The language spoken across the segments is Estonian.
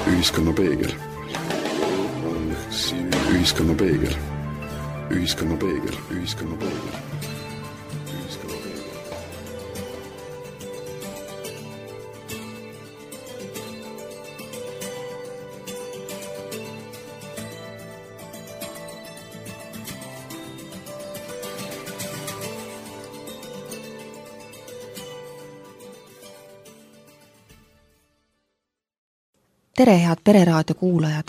Ühiskonnapeegel. Ühiskonnapeegel. Ühiskonnapeegel. Ühiskonnapeegel. Tere, head Pereraadio kuulajad!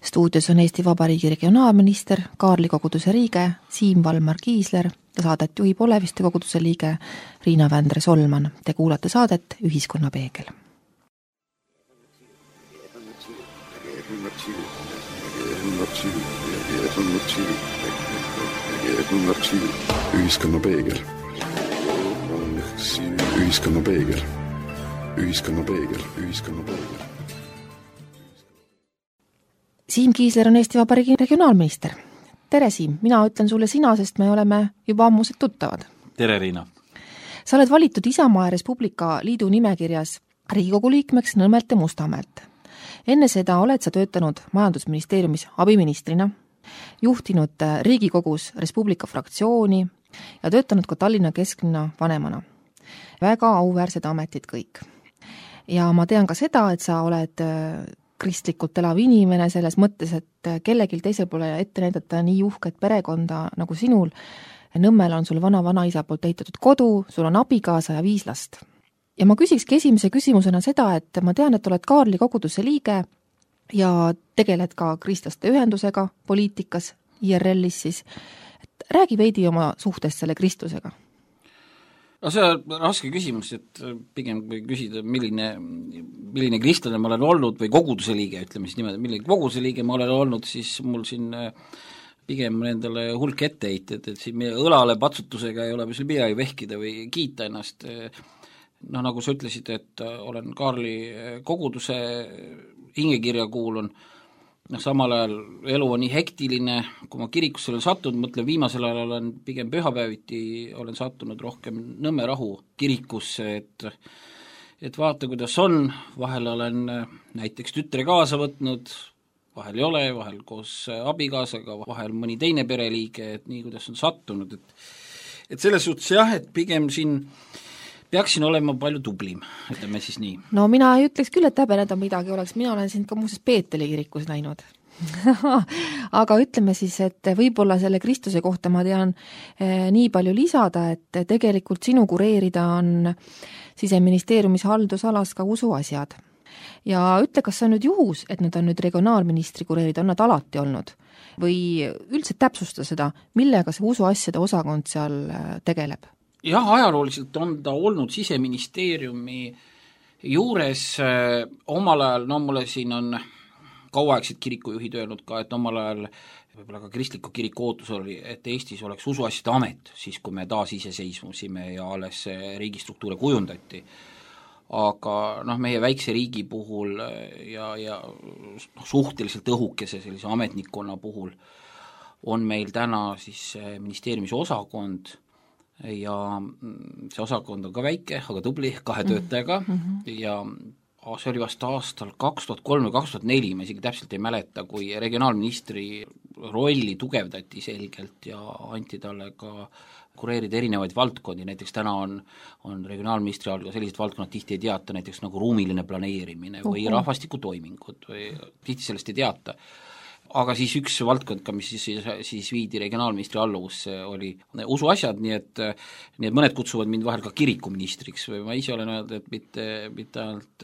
Stuudios on Eesti Vabariigi regionaalminister, Kaarli koguduse liige Siim Valmar Kiisler ja saadet juhib Oleviste koguduse liige Riina Vändre-Solman. Te kuulate saadet Ühiskonnapeegel. Ühiskonnapeegel. Ühiskonnapeegel. Ühiskonnapeegel. Ühiskonnapeegel. Siim Kiisler on Eesti Vabariigi regionaalminister. Tere Siim, mina ütlen sulle sina, sest me oleme juba ammused tuttavad. Tere Riina! Sa oled valitud Isamaa ja Res Publica liidu nimekirjas Riigikogu liikmeks Nõmmelt ja Mustamäelt. Enne seda oled sa töötanud majandusministeeriumis abiministrina, juhtinud Riigikogus Res Publica fraktsiooni ja töötanud ka Tallinna kesklinna vanemana. Väga auväärsed ametid kõik. Ja ma tean ka seda, et sa oled kristlikult elav inimene selles mõttes, et kellegil teisel pole ette näidata nii uhket perekonda nagu sinul. Nõmmel on sul vana-vanaisa poolt ehitatud kodu, sul on abikaasa ja 5 last. Ja ma küsikski esimese küsimusena seda, et ma tean, et oled Kaarli koguduse liige ja tegeled ka kristlaste ühendusega poliitikas, IRL-is siis. Et räägi veidi oma suhtest selle kristlusega. No see on raske küsimus, et pigem kui küsida, milline kristlane ma olen olnud või koguduse liige, ütleme siis niimoodi, milline koguduse liige ma olen olnud, siis mul siin pigem nendele hulk etteheited, et siin meie õlale patsutusega ei ole sul midagi vehkida või kiita ennast. No nagu sa ütlesid, et olen Kaarli koguduse hingekirja kuulun, samal ajal elu on nii hektiline, kui ma kirikusse olen sattunud, mõtlen viimasel ajal olen pigem pühapäeviti, olen sattunud rohkem Nõmme Rahu kirikusse, et vaata, kuidas on, vahel olen näiteks tütre kaasa võtnud, vahel ei ole, vahel koos abikaasaga, vahel mõni teine pereliige, et nii, kuidas on sattunud, et selles suhtes jah, et pigem siin peaksin olema palju tublim, ütleme siis nii. No mina ei ütleks küll, et häbeneda midagi oleks, mina olen sind ka muuseas Peeteli kirikus näinud. Aga ütleme siis, et võib-olla selle Kristuse kohta ma tean nii palju lisada, et tegelikult sinu kureerida on Siseministeeriumis haldusalas ka usuasjad. Ja ütle, kas see on nüüd juhus, et need on nüüd regionaalministri kureerida, on nad alati olnud? Või üldse täpsusta seda, millega see usuasjade osakond seal tegeleb? Jah, ajalooliselt on ta olnud Siseministeeriumi juures omal ajal, no mulle siin on kauaaegselt kirikujuhid öelnud ka, et omal ajal võib-olla ka kristliku kiriku ootus oli, et Eestis oleks usuasjade amet, siis kui me taas iseseisvusime ja alles riigistruktuure kujundati. Aga meie väikse riigi puhul ja suhteliselt õhukese sellise ametnikkonna puhul on meil täna siis ministeeriumis osakond, ja see osakond on ka väike, aga tubli, 2 töötajaga ja see oli vast aastal 2003 või 2004, ma isegi täpselt ei mäleta, kui regionaalministri rolli tugevdati selgelt ja anti talle ka kureerida erinevaid valdkondi, näiteks täna on regionaalministri all ka sellised valdkonnad tihti ei teata, näiteks nagu ruumiline planeerimine või rahvastikutoimingud või tihti sellest ei teata. Aga siis üks valdkond ka, mis siis viidi regionaalministri alluvusse, oli usuasjad, nii et mõned kutsuvad mind vahel ka kirikuministriks või ma ise olen öelnud, et mitte ainult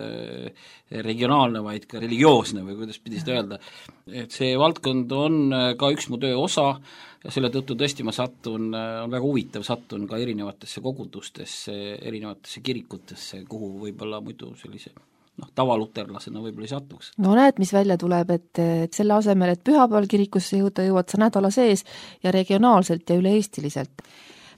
regionaalne, vaid ka religioosne või kuidas pidi seda öelda. Et see valdkond on ka üks mu töö osa ja selle tõttu tõesti ma on väga huvitav, sattun ka erinevatesse kogudustesse, erinevatesse kirikutesse, kuhu võib-olla muidu sellise tavaluterlasena võib-olla ei satuks. No näed, mis välja tuleb, et selle asemel, et pühapäeval kirikusse jõuad sa nädala sees ja regionaalselt ja üle-eestiliselt.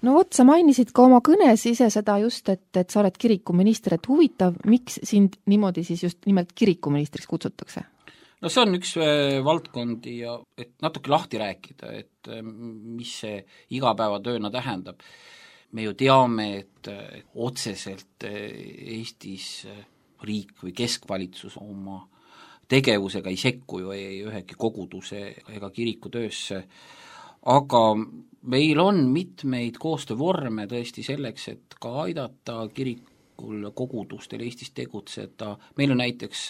No vot, sa mainisid ka oma kõnes ise seda just, et sa oled kirikuminister, et huvitav, miks sind niimoodi siis just nimelt kirikuministriks kutsutakse? no see on üks valdkondi ja et natuke lahti rääkida, et mis see igapäevatööna tähendab. Me ju teame, et otseselt Eestis riik või keskvalitsus oma tegevusega ei sekku ju ei ühegi koguduse ega kiriku töösse, aga meil on mitmeid koostöövorme tõesti selleks, et ka aidata kirikul kogudustel Eestis tegutseda. Meil on näiteks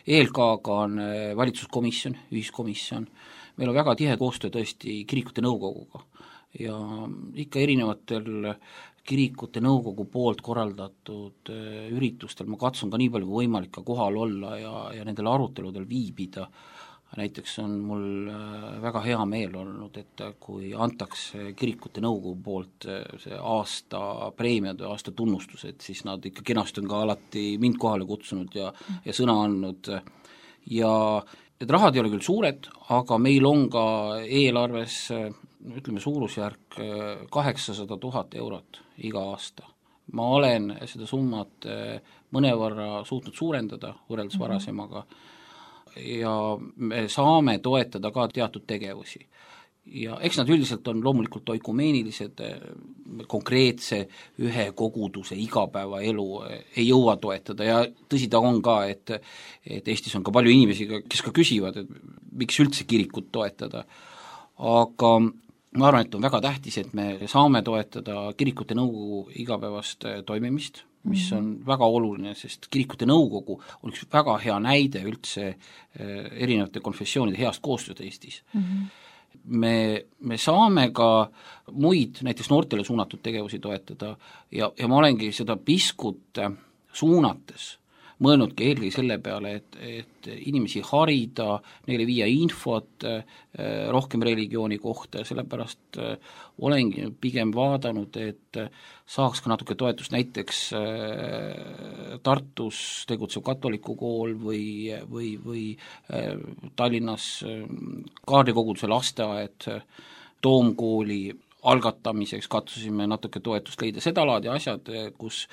ELK-ga on valitsuskomisjon, ühiskomisjon, meil on väga tihe koostöö tõesti kirikute nõukoguga ja ikka erinevatel kirikute nõukogu poolt korraldatud üritustel ma katsun ka nii palju kui võimalik ka kohal olla ja nendel aruteludel viibida. Näiteks on mul väga hea meel olnud, et kui antakse kirikute nõukogu poolt see aasta preemiad ja aasta tunnustused, siis nad ikka kenasti on ka alati mind kohale kutsunud ja sõna andnud ja need rahad ei ole küll suured, aga meil on ka eelarves ütleme suurusjärk 800 000 eurot iga aasta. Ma olen seda summat mõnevõrra suutnud suurendada võrreldes varasemaga ja me saame toetada ka teatud tegevusi. Ja eks nad üldiselt on loomulikult oikumeenilised, konkreetse ühe koguduse igapäevaelu ei jõua toetada ja tõsi ta on ka, et Eestis on ka palju inimesi, kes ka küsivad, et miks üldse kirikut toetada, aga ma arvan, et on väga tähtis, et me saame toetada kirikute nõukogu igapäevast toimimist, mis on väga oluline, sest kirikute nõukogu on üks väga hea näide üldse erinevate konfessioonide heast koostööd Eestis. Me saame ka muid, näiteks noortele suunatud tegevusi toetada ja ma olengi seda piskut suunates mõelnudki eelkõige selle peale, et inimesi harida, neile viia infot rohkem religiooni kohta ja sellepärast olengi pigem vaadanud, et saaks ka natuke toetust näiteks Tartus tegutsev katoliku kool või Tallinnas Kaarli koguduse lasteaed, Toomkooli algatamiseks katsusime natuke toetust leida, seda laadi asjad, kus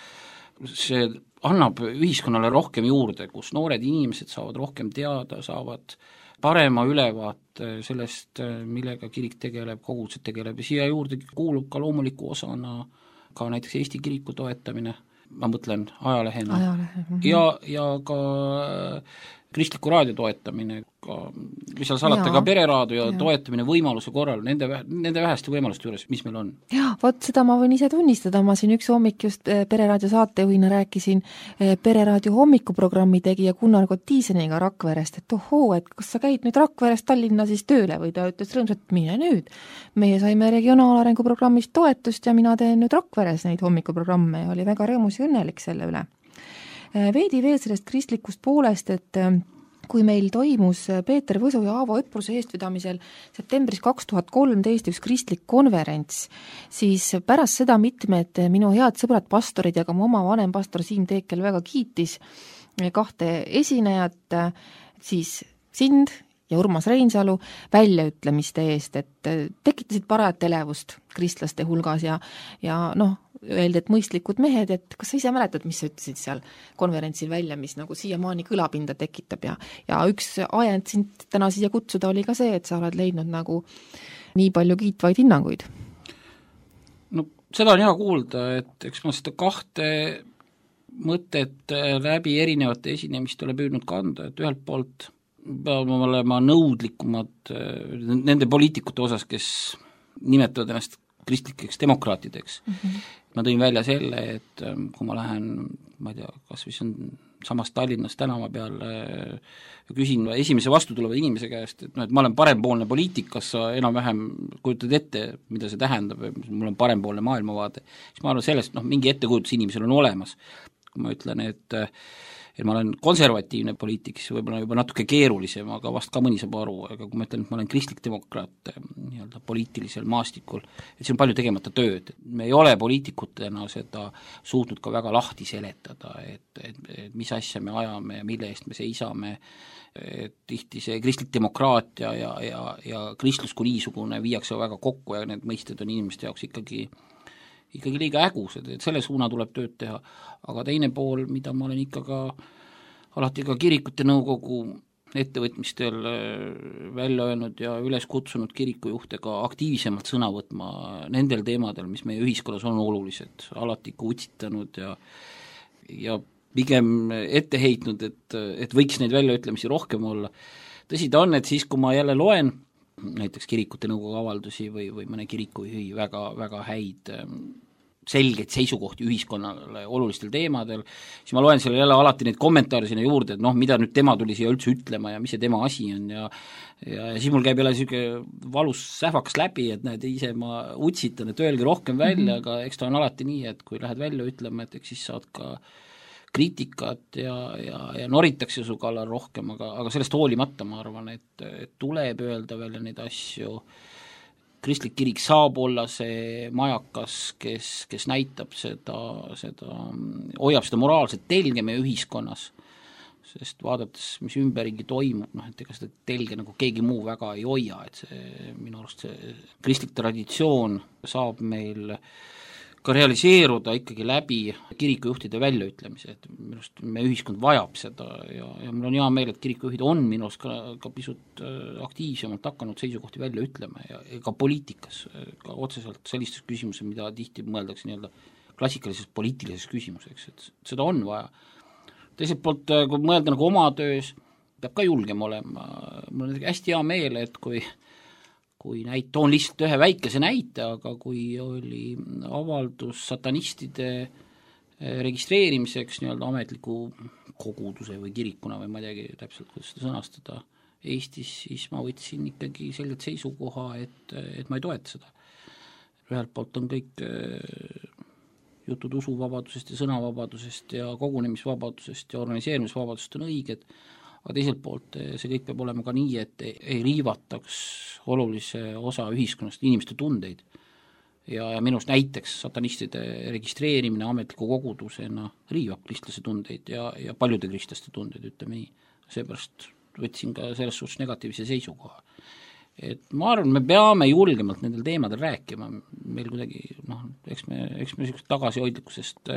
see annab ühiskonnale rohkem juurde, kus noored inimesed saavad rohkem teada, saavad parema ülevaate sellest, millega kirik tegeleb, kogudused tegeleb ja siia juurde kuulub ka loomuliku osana ka näiteks Eesti kiriku toetamine, ma mõtlen ajalehena ja ka kristliku raadio toetamine, mis seal salata, ka pereraadio toetamine võimaluse korral, nende väheste võimaluste juures, mis meil on. Jaa, vot seda ma võin ise tunnistada, ma siin üks hommik just Pereraadio saatejuhina rääkisin Pereraadio hommikuprogrammi tegija Gunnar Kotiiseniga Rakverest, et ohoo, et kas sa käid nüüd Rakverest Tallinna siis tööle või ta ütles rõõmsalt, mine nüüd. Meie saime regionaalarengu programmist toetust ja mina teen nüüd Rakveres neid hommikuprogramme ja oli väga rõõmus ja õnnelik selle üle. Veidi veel sellest kristlikust poolest, et kui meil toimus Peeter Võsu ja Aavo Õpruse eestvedamisel septembris 2013 üks kristlik konverents, siis pärast seda mitmed minu head sõbrad pastorid ja ka mu oma vanem pastor Siim Teekel väga kiitis kahte esinejat, siis sind ja Urmas Reinsalu väljaütlemiste eest, et tekitasid parajat elevust kristlaste hulgas ja noh, öeldi, et mõistlikud mehed, et kas sa ise mäletad, mis sa ütlesid seal konverentsil välja, mis nagu siiamaani kõlapinda tekitab ja üks ajend sind täna siia kutsuda oli ka see, et sa oled leidnud nagu nii palju kiitvaid hinnanguid. No seda on hea kuulda, et eks ma seda kahte mõtet läbi erinevate esinemist ole püüdnud kanda, et ühelt poolt peame olema nõudlikumad nende poliitikute osas, kes nimetavad ennast kristlikeks demokraatideks. Ma tõin välja selle, et kui ma lähen, ma ei tea, kas või see on samas Tallinnas tänava peal ja küsin esimese vastutuleva inimese käest, et, no, et ma olen parempoolne poliitikas, sa enam-vähem kujutad ette, mida see tähendab, mul on parempoolne maailmavaade, siis ma arvan sellest, mingi ettekujutus inimesel on olemas. Kui ma ütlen, et ma olen konservatiivne poliitik, siis võib-olla juba natuke keerulisem, aga vast ka mõni saab aru, aga kui ma ütlen, et ma olen kristlik demokraat nii-öelda poliitilisel maastikul, et see on palju tegemata tööd. Me ei ole poliitikutena seda suutnud ka väga lahti seletada, et mis asja me ajame ja mille eest me seisame, et tihti see kristlik demokraatia ja kristlus kui niisugune viiakse väga kokku ja need mõisted on inimeste jaoks ikkagi liiga ägused, et selle suuna tuleb tööd teha, aga teine pool, mida ma olen ikka ka alati ka kirikute nõukogu ettevõtmistel välja öelnud ja üles kutsunud kirikujuhte ka aktiivsemalt sõna võtma nendel teemadel, mis meie ühiskonnas on olulised, alati kutsitanud ja pigem ette heitnud, et võiks neid väljaütlemisi rohkem olla. Tõsi ta on, et siis, kui ma jälle loen näiteks kirikute nõukogu avaldusi või mõne kirikujuhi väga, väga häid selgeid seisukohti ühiskonnale olulistel teemadel, siis ma loen selle jälle alati neid kommentaare sinna juurde, et mida nüüd tema tuli siia üldse ütlema ja mis see tema asi on ja siis mul käib jälle niisugune valus sähvakas läbi, et näed, ise ma utsitan, et öelge rohkem välja, aga eks ta on alati nii, et kui lähed välja ütlema, et eks siis saad ka kriitikat ja noritakse su kallal rohkem, aga sellest hoolimata ma arvan, et tuleb öelda välja neid asju. Kristlik kirik saab olla see majakas, kes näitab hoiab seda moraalset telge meie ühiskonnas, sest vaadates, mis ümberringi toimub, et ega seda telge nagu keegi muu väga ei hoia, et see minu arust see kristlik traditsioon saab meil ka realiseeruda ikkagi läbi kirikujuhtide väljaütlemise, et minu arust meie ühiskond vajab seda ja mul on hea meel, et kirikujuhid on minu arust ka pisut aktiivsemalt hakanud seisukohti välja ütlema ja ka poliitikas, ka otseselt sellistes küsimuses, mida tihti mõeldakse nii-öelda klassikalises poliitilises küsimuseks, et seda on vaja. Teiselt poolt, kui mõelda nagu oma töös, peab ka julgem olema, mul on hästi hea meel, et kui toon lihtsalt ühe väikese näite, aga kui oli avaldus satanistide registreerimiseks nii-öelda ametliku koguduse või kirikuna või ma ei teagi täpselt, kuidas seda sõnastada Eestis, siis ma võtsin ikkagi selgelt seisukoha, et ma ei toeta seda. Ühelt poolt on kõik jutud usuvabadusest ja sõnavabadusest ja kogunemisvabadusest ja organiseerimisvabadusest on õiged, aga teiselt poolt see kõik peab olema ka nii, et ei riivataks olulise osa ühiskonnast inimeste tundeid. Ja minust näiteks satanistide registreerimine ametliku kogudusena riivab kristlase tundeid ja paljude kristlaste tundeid, ütleme nii. Seepärast võtsin ka selles suhtes negatiivse seisukoha. Et ma arvan, me peame julgemalt nendel teemadel rääkima, meil kuidagi, eks me niisugust tagasihoidlikkusest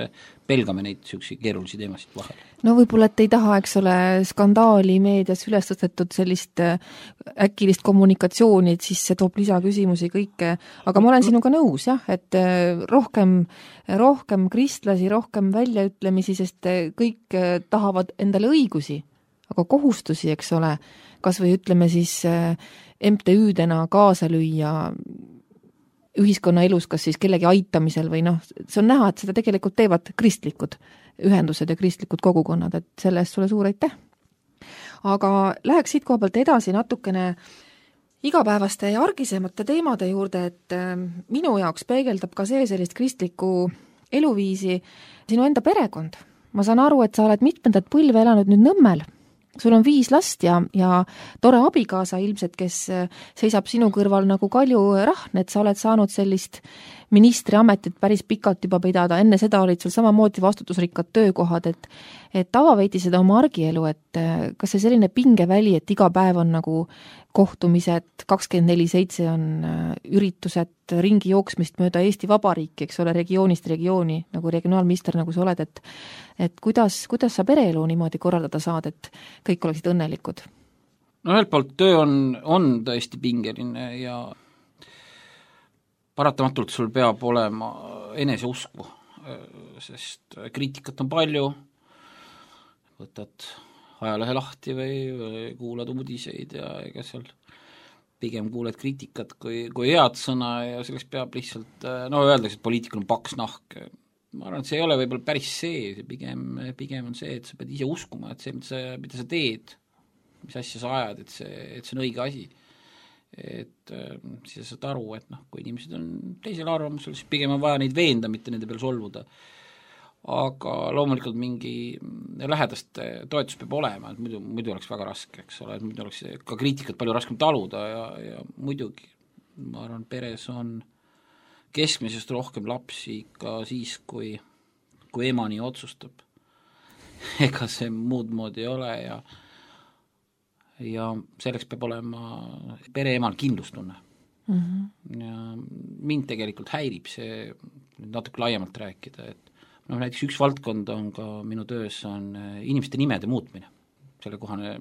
pelgame neid niisuguseid keerulisi teemasid vahel. No võib-olla, et ei taha, eks ole, skandaali meedias üles tõstetud sellist äkilist kommunikatsiooni, et siis see toob lisaküsimusi kõike, aga ma olen sinuga nõus, jah, et rohkem kristlasi, rohkem väljaütlemisi, sest kõik tahavad endale õigusi, aga kohustusi, eks ole, kas või ütleme siis MTÜ-dena kaasa lüüa ühiskonna elus, kas siis kellegi aitamisel või see on näha, et seda tegelikult teevad kristlikud ühendused ja kristlikud kogukonnad, et selle eest sulle suur aitäh. Aga läheks siit koha pealt edasi natukene igapäevaste ja argisemate teemade juurde, et minu jaoks peegeldab ka see sellist kristlikku eluviisi sinu enda perekond. Ma saan aru, et sa oled mitmendat põlve elanud nüüd Nõmmel. Sul on 5 last ja tore abikaasa ilmselt, kes seisab sinu kõrval nagu Kalju Rahn, et sa oled saanud sellist ministriametit päris pikalt juba pidada, enne seda olid sul samamoodi vastutusrikkad töökohad, et ava veidi seda oma argielu, et kas see selline pingeväli, et iga päev on nagu kohtumised, 24/7 on üritused, ringi jooksmist mööda Eesti Vabariiki, eks ole, regioonist regiooni, nagu regionaalminister, nagu sa oled, et kuidas sa pereelu niimoodi korraldada saad, et kõik oleksid õnnelikud? No ühelt poolt töö on tõesti pingeline ja paratamatult sul peab olema eneseusku, sest kriitikat on palju, võtad ajalehe lahti või kuulad uudiseid ja ega seal pigem kuuled kriitikat kui head sõna ja selleks peab lihtsalt, öeldakse, et poliitikul on paks nahk. Ma arvan, et see ei ole võib-olla päris see pigem on see, et sa pead ise uskuma, et see, mida sa teed, mis asja sa ajad, et see on õige asi. Et siis sa saad aru, et kui inimesed on teisel arvamusel, siis pigem on vaja neid veenda, mitte nende peal solvuda. Aga loomulikult mingi lähedaste toetus peab olema, et muidu oleks väga raske, eks ole, et muidu oleks ka kriitikat palju raskem taluda ja muidugi, ma arvan, peres on keskmisest rohkem lapsi ka siis, kui ema nii otsustab. Ega see muud moodi ei ole ja selleks peab olema pereemal kindlustunne. Ja mind tegelikult häirib see natuke laiemalt rääkida, et näiteks üks valdkond on ka minu töös on inimeste nimede muutmine. sellekohane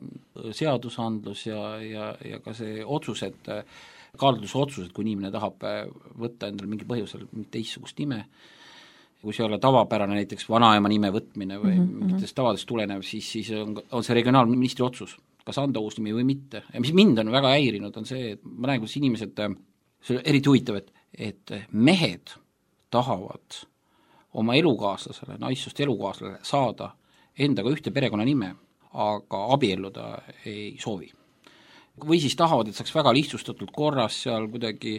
seadusandlus ja ka see otsused, kaalutlusotsused, kui inimene tahab võtta endale mingi põhjusel teistsugust nime, kui see ei ole tavapärane näiteks vanaema nime võtmine või mingitest tavadest tulenev, siis on see regionaalministri otsus, kas anda uus nimi või mitte. Ja mis mind on väga häirinud, on see, et ma näen, kuidas inimesed, see on eriti huvitav, et mehed tahavad oma elukaaslasele, naissust elukaaslasele saada endaga ühte perekonnanime, aga abielluda ei soovi. Või siis tahavad, et saaks väga lihtsustatud korras seal kuidagi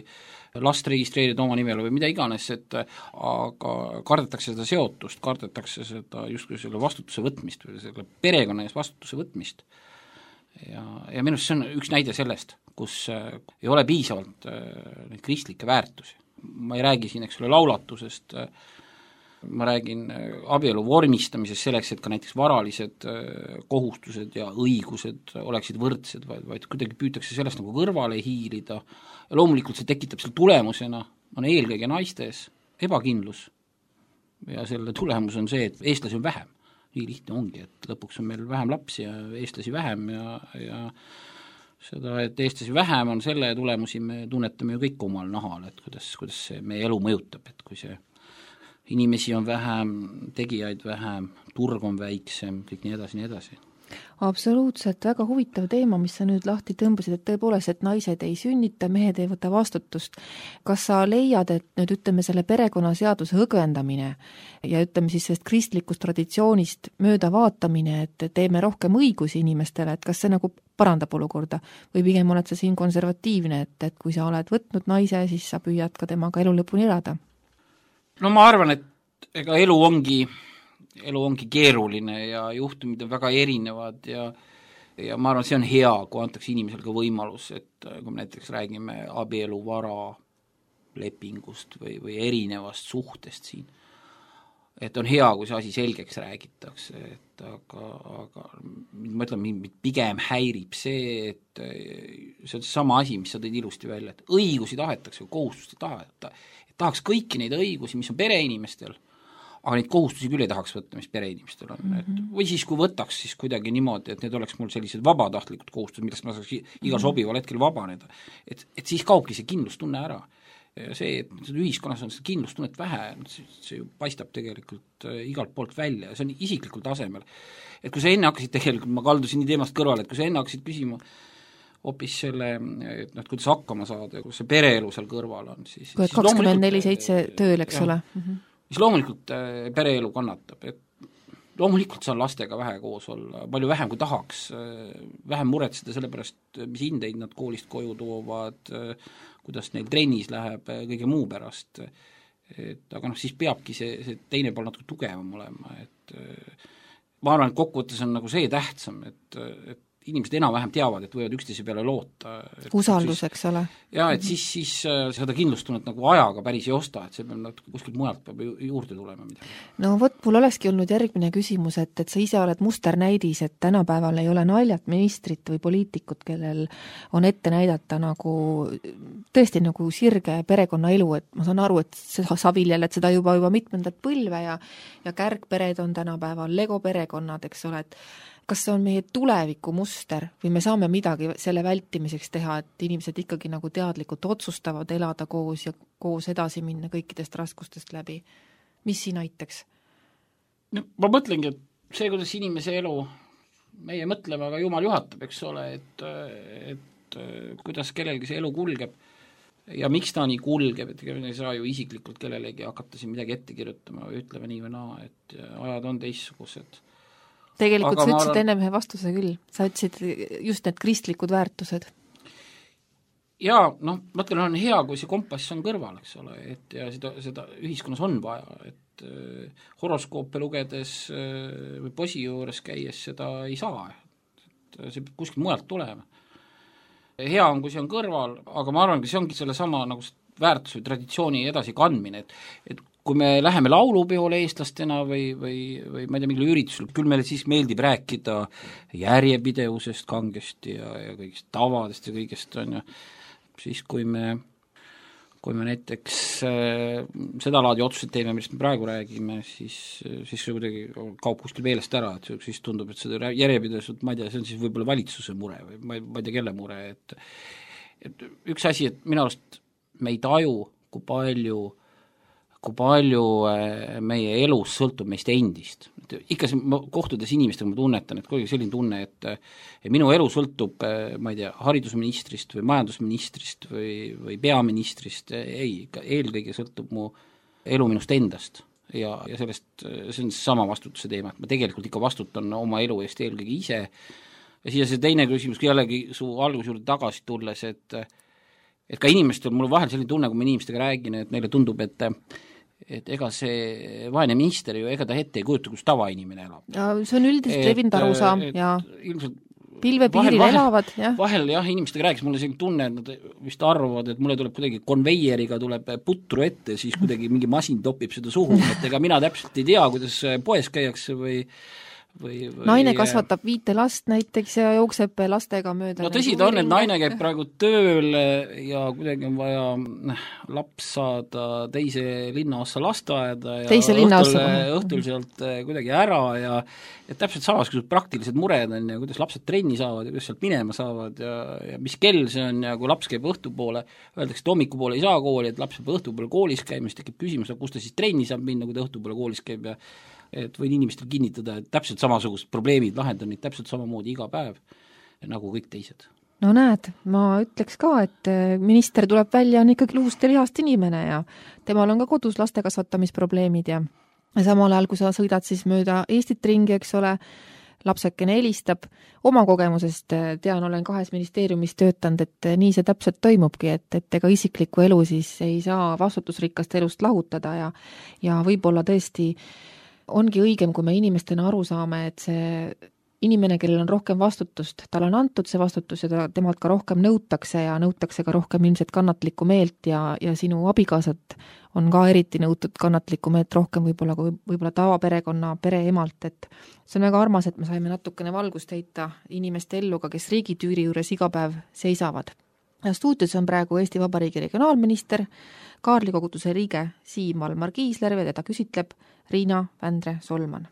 last registreerida oma nimele või mida iganes, aga kardetakse seda seotust, kardetakse seda justkui selle vastutuse võtmist või selle perekonna ees vastutuse võtmist. Ja minu arust see on üks näide sellest, kus ei ole piisavalt neid kristlikke väärtusi. Ma ei räägi siin, eks ole, laulatusest, ma räägin abielu vormistamisest selleks, et ka näiteks varalised kohustused ja õigused oleksid võrdsed, vaid kuidagi püütakse sellest nagu kõrvale hiilida ja loomulikult see tekitab selle tulemusena, on eelkõige naistes ebakindlus ja selle tulemus on see, et eestlasi on vähem. Nii lihtne ongi, et lõpuks on meil vähem lapsi ja eestlasi vähem ja seda, et eestlasi vähem on selle tulemusi, me tunnetame ju kõik omal nahal, et kuidas see meie elu mõjutab, et kui see inimesi on vähem, tegijaid vähem, turg on väiksem, kõik nii edasi. Absoluutselt, väga huvitav teema, mis sa nüüd lahti tõmbasid, et tõepoolest, et naised ei sünnita, mehed ei võta vastutust. Kas sa leiad, et nüüd ütleme selle perekonnaseaduse õgvendamine ja ütleme siis sellest kristlikust traditsioonist mööda vaatamine, et teeme rohkem õigusi inimestele, et kas see nagu parandab olukorda või pigem oled sa siin konservatiivne, et kui sa oled võtnud naise, siis sa püüad ka temaga elu lõpuni elada? No ma arvan, et ega elu ongi keeruline ja juhtumid on väga erinevad ja ma arvan, see on hea, kui antakse inimesel ka võimalus, et kui me näiteks räägime abieluvara lepingust või erinevast suhtest siin, et on hea, kui see asi selgeks räägitakse, et aga ma ütlen, mind pigem häirib see, et see on sama asi, mis sa tõid ilusti välja, et õigusi tahetakse, kohustust tahaks kõiki neid õigusi, mis on pereinimestel, aga neid kohustusi küll ei tahaks võtta, mis pereinimestel on. Või siis, kui võtaks, siis kuidagi niimoodi, et need oleks mul sellised vabatahtlikud kohustused, millest ma saaks igal sobival hetkel vabaneda. Et siis kaobki see kindlustunne ära. Ja see, et ühiskonnas on seda kindlustunnet vähe, see ju paistab tegelikult igalt poolt välja ja see on isiklikul tasemel. Et kui sa enne hakkasid tegelikult, ma kaldusin nii teemast kõrvale, et kui sa enne hakkasid küsima hoopis selle, et kuidas hakkama saada, kus see pereelu seal kõrval on, siis 24/7 tööl, eks ole. Siis loomulikult pereelu kannatab, et loomulikult saan lastega vähe koos olla, palju vähem kui tahaks, vähem muretseda selle pärast, mis hindeid nad koolist koju toovad, kuidas neil trennis läheb, kõige muu pärast. Aga siis peabki see teine pool natuke tugevam olema, et ma arvan, et kokkuvõttes on nagu see tähtsam, et inimesed enam-vähem teavad, et võivad üksteise peale loota. Usaldus, eks ole. Ja, et siis seda kindlustunnet nagu ajaga päris ei osta, et see peab kuskilt mujalt peab juurde tulema midagi. No vot, mul olekski olnud järgmine küsimus, et sa ise oled musternäidis, et tänapäeval ei ole naljat ministrit või poliitikut, kellel on ette näidata nagu tõesti nagu sirge perekonnaelu, et ma saan aru, et sa viljel, et seda juba mitmendat põlve ja kärgpered on tänapäeval, Lego perekonnad, eks ole, et kas see on meie tuleviku muster või me saame midagi selle vältimiseks teha, et inimesed ikkagi nagu teadlikult otsustavad elada koos ja koos edasi minna kõikidest raskustest läbi? Mis siin aitaks? No, ma mõtlengi, et see, kuidas inimese elu meie mõtleme, aga Jumal juhatab, eks ole, et kuidas kellelgi see elu kulgeb ja miks ta nii kulgeb, et ei saa ju isiklikult kellelegi hakata siin midagi ette kirjutama või ütleme nii või naa, et ajad on teistsugused. Tegelikult sa ütlesid enne ühe vastuse küll, sa ütlesid just need kristlikud väärtused. Jaa, mõtlen, on hea, kui see kompass on kõrval, eks ole, et ja seda ühiskonnas on vaja, et horoskoope lugedes või posi juures käies seda ei saa, et see peab kuskil mujalt tulema. Hea on, kui see on kõrval, aga ma arvan, et see ongi selle sama nagu väärtus või traditsiooni edasi kandmine, et kui me läheme laulupeole eestlastena või ma ei tea, mingil üritusel, küll meile siis meeldib rääkida järjepidevusest kangesti ja kõigist tavadest ja kõigest on ju, siis kui me kui me näiteks seda laadi otsused teeme, millest me praegu räägime, siis see kuidagi kaob kuskil meelest ära, et siis tundub, et seda järjepidevust, ma ei tea, see on siis võib-olla valitsuse mure või ma ei tea, kelle mure, et üks asi, et minu arust me ei taju, kui palju meie elus sõltub meist endist. Ikka kohtudes inimestega ma tunnetan, et kuidagi selline tunne, et minu elu sõltub, ma ei tea, haridusministrist või majandusministrist või peaministrist, ei, eelkõige sõltub mu elu minust endast ja sellest, see on sama vastutuse teema, et ma tegelikult ikka vastutan oma elu eest eelkõige ise. Ja siia see teine küsimus, jällegi su alguse juurde tagasi tulles, et ka inimestel, mul vahel selline tunne, kui ma inimestega räägin, et neile tundub, et ega see vaene minister ju, ega ta ette ei kujuta, kus tavainimene elab. Ja see on üldiselt levinud arusaam ja ilmselt pilvepiiril elavad, jah. Vahel jah, inimestega rääkis, mulle selline tunne, et nad vist arvavad, et mulle tuleb kuidagi konveieriga tuleb putru ette, siis kuidagi mingi masin topib seda suhu, et ega mina täpselt ei tea, kuidas poes käiakse või naine kasvatab 5 last näiteks ja jookseb lastega mööda. No tõsi ta on, et naine käib praegu tööl ja kuidagi on vaja laps saada teise linnaossa lasteaeda ja õhtul sealt kuidagi ära ja täpselt samas, kui praktilised mured on ja kuidas lapsed trenni saavad ja kuidas sealt minema saavad ja mis kell see on ja kui laps käib õhtupoole, öeldakse, et hommikupoole ei saa kooli, et laps peab õhtupoole koolis käima, siis tekib küsimus, kus ta siis trenni saab minna, kui ta õhtupoole koolis käib ja et võin inimestel kinnitada, et täpselt samasugused probleemid lahendan neid täpselt samamoodi iga päev, nagu kõik teised. No näed, ma ütleks ka, et minister tuleb välja, on ikkagi luust ja lihast inimene ja temal on ka kodus laste kasvatamisprobleemid ja samal ajal, kui sa sõidad siis mööda Eestit ringi, eks ole, lapsekene helistab, oma kogemusest tean, olen 2 ministeeriumis töötanud, et nii see täpselt toimubki, et ega isiklikku elu siis ei saa vastutusrikkast elust lahutada ja võib-olla tõesti ongi õigem, kui me inimestena aru saame, et see inimene, kellel on rohkem vastutust, tal on antud see vastutus ja temalt ka rohkem nõutakse ja nõutakse ka rohkem ilmselt kannatlikku meelt ja sinu abikaasat on ka eriti nõutud kannatlikku meelt rohkem võib-olla tavaperekonna pereemalt, et see on väga armas, et me saime natukene valgust heita inimeste ellu ka, kes riigitüüri juures iga päev seisavad. Ja stuudios on praegu Eesti Vabariigi regionaalminister, Kaarli koguduse liige Siim Valmar Kiisler ja teda küsitleb Riina Vändre Solman.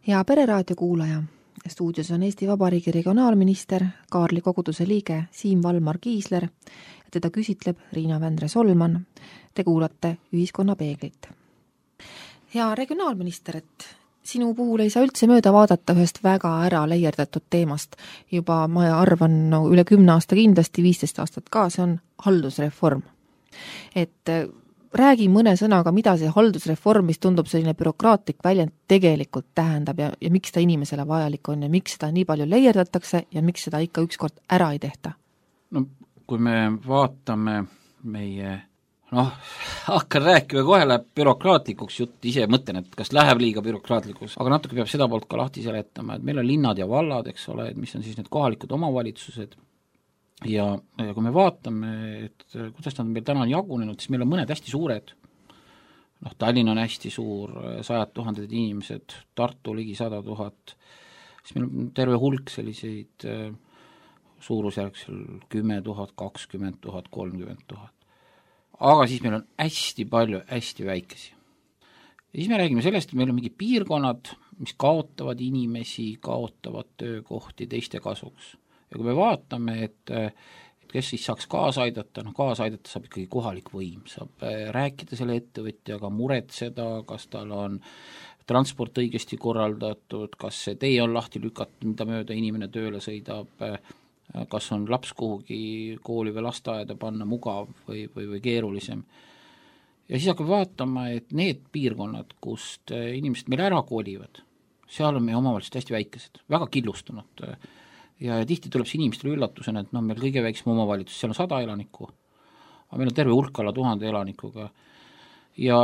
Ja Pereraadio kuulaja, stuudios on Eesti Vabariigi regionaalminister, Kaarli koguduse liige Siim Valmar Kiisler ja teda küsitleb Riina Vändre Solman. Te kuulate Ühiskonna peeglit. Ja regionaalminister, et Sinu puhul ei saa üldse mööda vaadata ühest väga ära leierdatud teemast. Juba ma arvan üle 10 aasta kindlasti, 15 aastat ka, see on haldusreform. Et räägi mõne sõnaga, mida see haldusreform, mis tundub selline bürokraatlik väljend, tegelikult tähendab ja miks ta inimesele vajalik on ja miks seda nii palju leierdatakse ja miks seda ikka ükskord ära ei tehta? No kui me vaatame meie hakkan rääkima, kohe läheb bürokraatlikuks jutt, ise mõtlen, et kas läheb liiga bürokraatlikuks, aga natuke peab seda poolt ka lahti seletama, et meil on linnad ja vallad, eks ole, et mis on siis need kohalikud omavalitsused ja kui me vaatame, et kuidas nad meil täna on jagunenud, siis meil on mõned hästi suured, Tallinn on hästi suur, 100 000 inimesed, Tartu ligi 100 000, siis meil on terve hulk selliseid suurusjärgsel 10 000, 20 000, 30 000. Aga siis meil on hästi palju hästi väikesi. Ja siis me räägime sellest, et meil on mingi piirkonnad, mis kaotavad inimesi, kaotavad töökohti teiste kasuks. Ja kui me vaatame, et kes siis saaks kaasa aidata, kaasa aidata saab ikkagi kohalik võim, saab rääkida selle ettevõtjaga, muretseda, kas tal on transport õigesti korraldatud, kas see tee on lahti lükatud, mida mööda inimene tööle sõidab, kas on laps kuhugi kooli või lasteaeda panna mugav või keerulisem. Ja siis hakkab vaatama, et need piirkonnad, kust inimesed meil ära kolivad, seal on meie omavalitsused hästi väikesed, väga killustunud. Ja tihti tuleb see inimestele üllatusena, et meil kõige väiksem omavalitsus, seal on 100 elanikku, aga meil on terve hulk alla 1000 elanikuga. Ja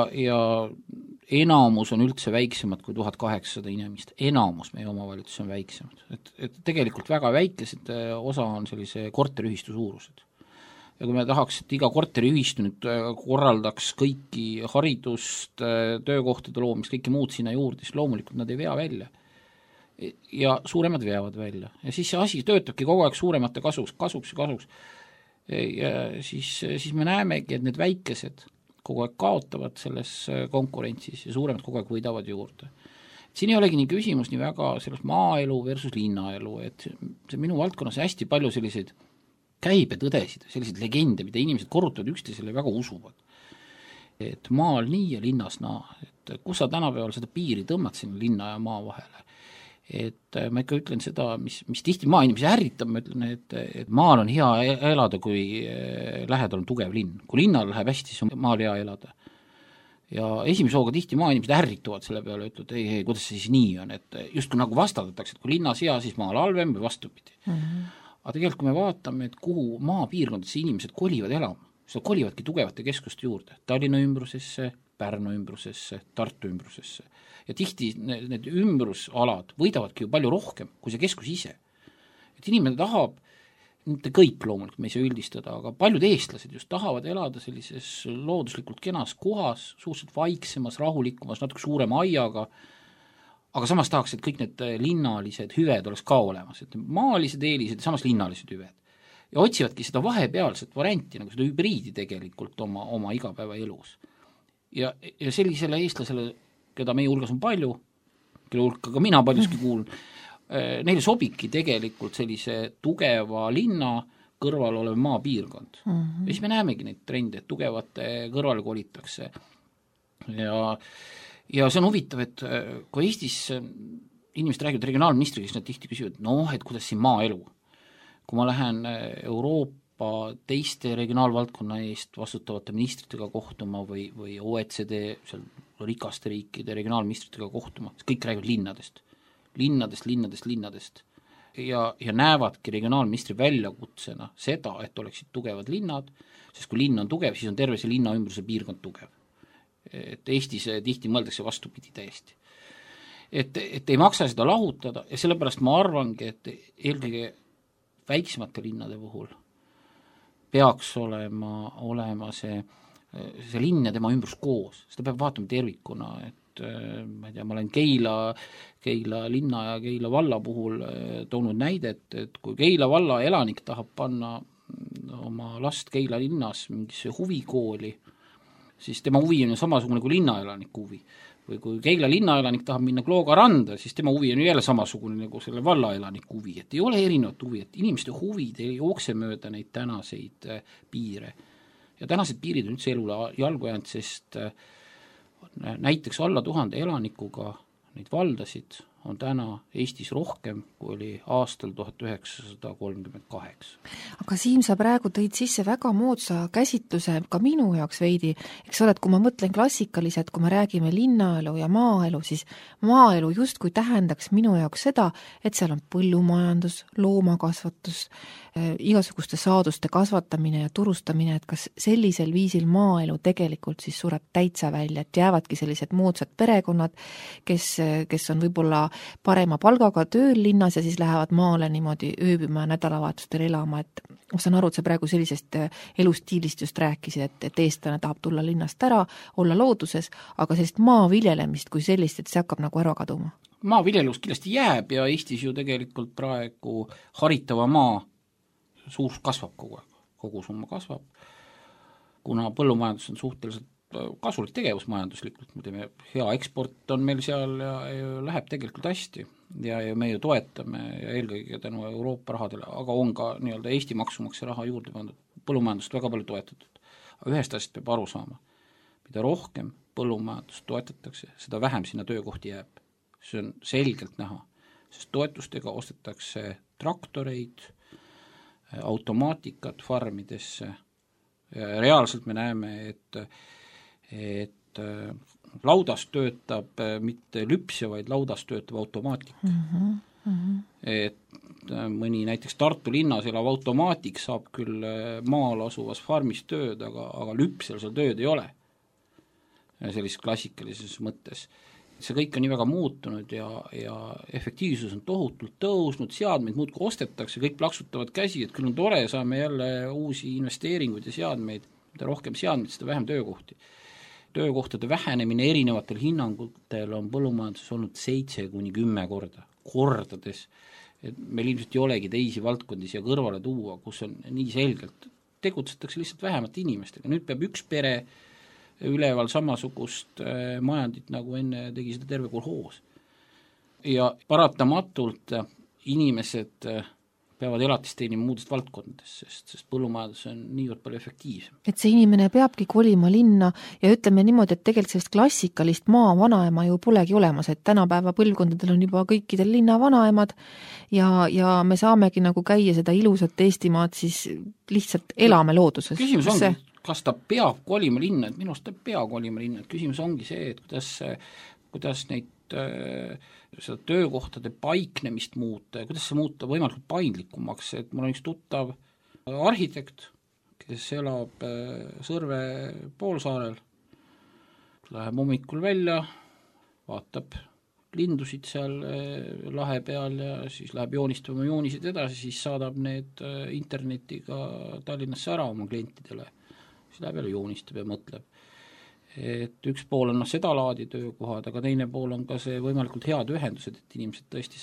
enamus on üldse väiksemad kui 1800 inimest, enamus meie omavalitsus on väiksemad, et tegelikult väga väikesed osa on sellise korteriühistu suurused. Ja kui me tahaks, et iga korteriühistu nüüd korraldaks kõiki haridust, töökohtade loomist, kõiki muud sinna juurde, siis loomulikult nad ei vea välja. Ja suuremad veavad välja. Ja siis see asi töötabki kogu aeg suuremate kasuks. Ja siis me näemegi, et need väikesed kogu aeg kaotavad selles konkurentsis ja suuremad kogu aeg võidavad juurde. Siin ei olegi nii küsimus nii väga sellest maaelu versus linnaelu, et see minu valdkonnas hästi palju selliseid käibetõdesid, selliseid legende, mida inimesed korrutavad üksteisele ja väga usuvad. Et maal nii ja linnas et kus sa tänapäeval seda piiri tõmbad sinna linna ja maa vahele. Et ma ikka ütlen seda, mis tihti maainimesi ärritab, ma ütlen, et maal on hea elada, kui lähedal on tugev linn. Kui linnal läheb hästi, siis on maal hea elada. Ja esimese hooga tihti maainimesed ärrituvad selle peale, ütlevad, ei, kuidas see siis nii on, et just kui nagu vastandatakse, et kui linnas hea, siis maal halvem või vastupidi. Aga tegelikult, kui me vaatame, et kuhu maapiirkondadesse inimesed kolivad elama, siis nad kolivadki tugevate keskuste juurde, Tallinna ümbrusesse, Pärnu ümbrusesse, Tartu ümbrusesse. Ja tihti need ümbrusalad võidavadki ju palju rohkem kui see keskus ise. Et inimene tahab, mitte kõik loomulikult, me ei saa üldistada, aga paljud eestlased just tahavad elada sellises looduslikult kenas kohas, suhteliselt vaiksemas, rahulikumas, natuke suurema aiaga, aga samas tahaks, et kõik need linnalised hüved oleks ka olemas, et maalised eelised ja samas linnalised hüved. Ja otsivadki seda vahepealset varianti, nagu seda hübriidi tegelikult oma igapäeva elus. Ja sellisele eestlasele, keda meie hulgas on palju, kelle hulka ka mina paljuski kuulun, neile sobibki tegelikult sellise tugeva linna kõrval olev maapiirkond. Ja siis me näemegi neid trende, et tugevate kõrvale kolitakse. Ja see on huvitav, et kui Eestis inimesed räägivad regionaalministriga, siis nad tihti küsivad, et kuidas siin maaelu. Kui ma lähen Euroopa teiste regionaalvaldkonna eest vastutavate ministritega kohtuma või OECD seal rikaste riikide regionaalministritega kohtuma, siis kõik räägivad linnadest. Ja näevadki regionaalministri väljakutsena seda, et oleksid tugevad linnad, sest kui linn on tugev, siis on terve see linna ümbruse piirkond tugev. Et Eestis tihti mõeldakse vastupidi täiesti. Et ei maksa seda lahutada ja sellepärast ma arvangi, et eelkõige väiksemate linnade puhul peaks olema see linn ja tema ümbrus koos. Seda peab vaatama tervikuna, et ma ei tea, ma olen Keila linna ja Keila valla puhul toonud näidet, et kui Keila valla elanik tahab panna oma last Keila linnas mingisse huvikooli, siis tema huvi on ju samasugune kui linnaelaniku huvi. Või kui Keila linnaelanik tahab minna Klooga randa, siis tema huvi on ju jälle samasugune nagu selle vallaelaniku huvi, et ei ole erinevat huvi, et inimeste huvid ei jookse mööda neid tänaseid piire. Ja tänased piirid on üldse elule jalgu jäänud, sest näiteks alla 1000 elanikuga neid valdasid on täna Eestis rohkem, kui oli aastal 1938. Aga Siim, sa praegu tõid sisse väga moodsa käsitluse ka minu jaoks veidi, eks ole, et kui ma mõtlen klassikaliselt, kui me räägime linnaelu ja maaelu, siis maaelu justkui tähendaks minu jaoks seda, et seal on põllumajandus, loomakasvatus, igasuguste saaduste kasvatamine ja turustamine, et kas sellisel viisil maaelu tegelikult siis sureb täitsa välja, et jäävadki sellised moodsad perekonnad, kes on võib-olla parema palgaga tööl linnas ja siis lähevad maale niimoodi ööbima ja nädalavahetustel elama, et ma saan aru, et sa praegu sellisest elustiilist just rääkisid, et eestlane tahab tulla linnast ära, olla looduses, aga sellist maaviljelemist kui sellist, et see hakkab nagu ära kaduma. Maaviljelus kindlasti jääb ja Eestis ju tegelikult praegu haritava maa suurus kasvab kogu aeg, kogusumma kasvab, kuna põllumajandus on suhteliselt kasulik tegevus majanduslikult, me teeme hea eksport on meil seal ja läheb tegelikult hästi ja me ju toetame ja eelkõige tänu Euroopa rahadele, aga on ka nii-öelda Eesti maksumaksja raha juurde pandud, põllumajandust väga palju toetatud. Aga ühest asjast peab aru saama, mida rohkem põllumajandust toetatakse, seda vähem sinna töökohti jääb. See on selgelt näha, sest toetustega ostetakse traktoreid, automaatikat farmidesse. Reaalselt me näeme, et laudas töötab mitte lüpsja, vaid laudas töötab automaatik. Et mõni näiteks Tartu linnas elav automaatik saab küll maal asuvas farmis tööd, aga lüpsjal seal tööd ei ole. Sellises klassikalises mõttes. See kõik on nii väga muutunud ja efektiivsus on tohutult tõusnud, seadmeid muudkui ostetakse, kõik plaksutavad käsi, et küll on tore, saame jälle uusi investeeringuid ja seadmeid, mida rohkem seadmeid, seda vähem töökohti. Töökohtade vähenemine erinevatel hinnangutel on põllumajanduses olnud 7-10 korda, kordades, et meil ilmselt ei olegi teisi valdkondi siia kõrvale tuua, kus on nii selgelt, tegutsetakse lihtsalt vähemate inimestega, nüüd peab üks pere üleval samasugust majandit, nagu enne tegi seda terve kolhoos. Ja paratamatult inimesed peavad elatist teenima muudest valdkondadest, sest põllumajandus on niivõrd palju efektiivsem. Et see inimene peabki kolima linna ja ütleme niimoodi, et tegelikult sellist klassikalist maa vanaema ju polegi olemas, et tänapäeva põlvkondadel on juba kõikidel linna vanaemad ja me saamegi nagu käia seda ilusat Eestimaad, siis lihtsalt elame looduses. Küsimus ongi, kas ta peab kolima linna, et minu arust ta peab kolima linna, et küsimus ongi see, et kuidas neid seda töökohtade paiknemist muuta ja kuidas see muuta võimalikult paindlikumaks, et mul on üks tuttav arhitekt, kes elab Sõrve poolsaarel, läheb hommikul välja, vaatab lindusid seal lahe peal ja siis läheb joonistama joonisid edasi, siis saadab need internetiga Tallinnasse ära oma klientidele. Siis läheb jälle joonistab ja mõtleb. Et üks pool on seda laadi töökohad, aga teine pool on ka see võimalikult head ühendused, et inimesed tõesti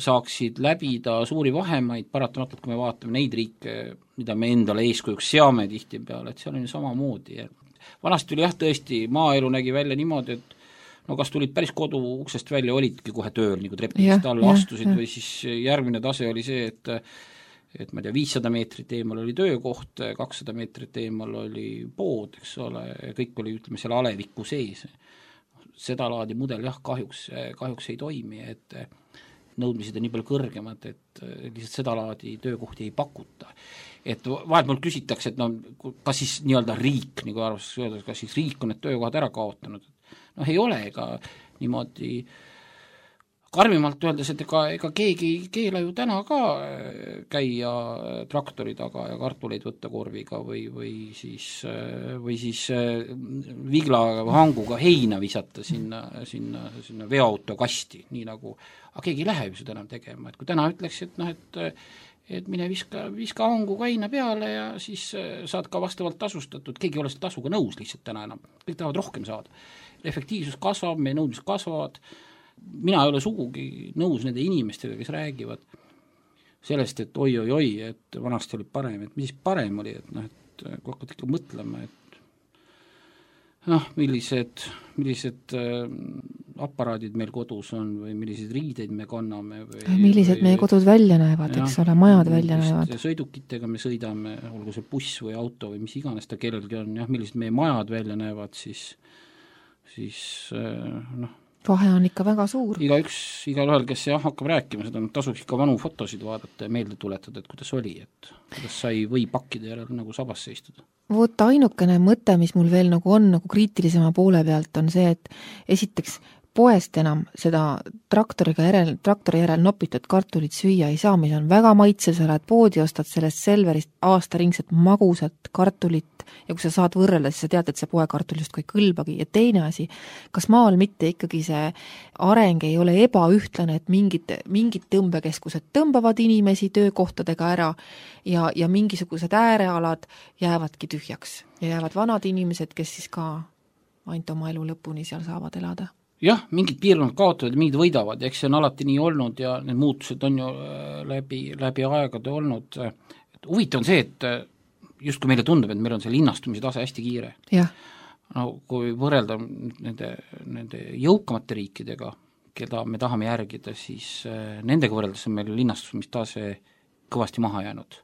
saaksid läbida suuri vahemaid, paratamatult kui me vaatame neid riike, mida me endale eeskujuks seame tihti peale, et seal on ju samamoodi. Vanasti oli jah tõesti, maaelu nägi välja niimoodi, et no kas tulid päris kodu uksest välja, olidki kohe tööl, nagu trepist alla astusid või siis järgmine tase oli see, et ma ei tea, 500 meetrit eemal oli töökoht, 200 meetrit eemal oli pood, eks ole, kõik oli, ütleme, seal aleviku sees. Seda laadi mudel jah, kahjuks ei toimi, et nõudmised on nii palju kõrgemad, et lihtsalt seda laadi töökohti ei pakuta. Et vahelt mul küsitakse, et no, kas siis nii-öelda riik, nagu arvas öelda, kas siis riik on need töökohad ära kaotanud. Noh, ei ole ega niimoodi karmimalt öeldes, et ega keegi ei keela ju täna ka käia traktori taga ja kartuleid võtta korviga või siis vigla hanguga heina visata sinna veoauto kasti, nii nagu, aga keegi ei lähe ju seda enam tegema, et kui täna ütleks, et noh, et mine viska hanguga heina peale ja siis saad ka vastavalt tasustatud, keegi ei ole seda tasuga nõus lihtsalt täna enam, kõik tahavad rohkem saada. Efektiivsus kasvab, meie nõudmised kasvavad, mina ei ole sugugi nõus nende inimestega, kes räägivad sellest, et oi, et vanasti oli parem, et mis parem oli, et noh, et kui hakkad ikka mõtlema, et noh, millised aparaadid meil kodus on või milliseid riideid me kanname millised meie kodud välja näevad, eks ole, majad välja näevad. Sõidukitega me sõidame, olgu see buss või auto või mis iganes ta kellelgi on, jah, millised meie majad välja näevad, siis noh, vahe on ikka väga suur. Igalühel, kes hakkab rääkima, seda tasuks ikka vanu fotosid vaadata ja meelde tuletada, et kuidas oli, et kuidas sai või pakkide järel nagu sabas seistuda. Vot ainukene mõte, mis mul veel nagu on nagu kriitilisema poole pealt, on see, et esiteks poest enam seda traktori järel nopitud kartulit süüa ei saa, mis on väga maitsev, sa lähed poodi, ostad sellest Selverist aastaringset magusat kartulit ja kui sa saad võrrelda, siis sa tead, et see poekartul justkui ei kõlbagi. Ja teine asi, kas maal mitte ikkagi see areng ei ole ebaühtlane, et mingid tõmbekeskused tõmbavad inimesi töökohtadega ära ja mingisugused äärealad jäävadki tühjaks ja jäävad vanad inimesed, kes siis ka ainult oma elu lõpuni seal saavad elada. Jah, mingid piirkonnad kaotavad ja mingid võidavad, eks see on alati nii olnud ja need muutused on ju läbi aegade olnud. Huvitav on see, et just kui meile tundub, et meil on see linnastumise tase hästi kiire. Jah. No, kui võrrelda nende jõukamate riikidega, keda me tahame järgida, siis nendega võrreldes on meil linnastumistase kõvasti maha jäänud.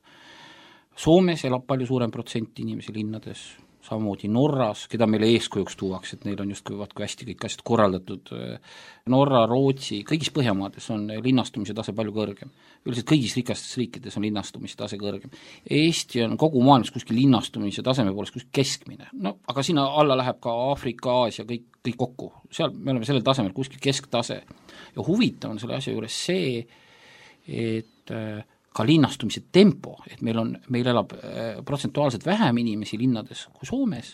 Soomes elab palju suurem protsent inimesi linnades, samamoodi Norras, keda meile eeskujuks tuuaks, et neil on justkui kui hästi kõik asjad korraldatud. Norra, Rootsi, kõigis Põhjamaades on linnastumise tase palju kõrgem. Üldiselt kõigis rikastes riikides on linnastumise tase kõrgem. Eesti on kogu maailmas kuskil linnastumise taseme poolest kuskil keskmine. No, aga sinna alla läheb ka Aafrika, Aasia, kõik kokku. Seal me oleme sellel tasemel kuskil kesktase. Ja huvitav on selle asja juures see, et ka linnastumise tempo, et meil elab protsentuaalselt vähem inimesi linnades kui Soomes,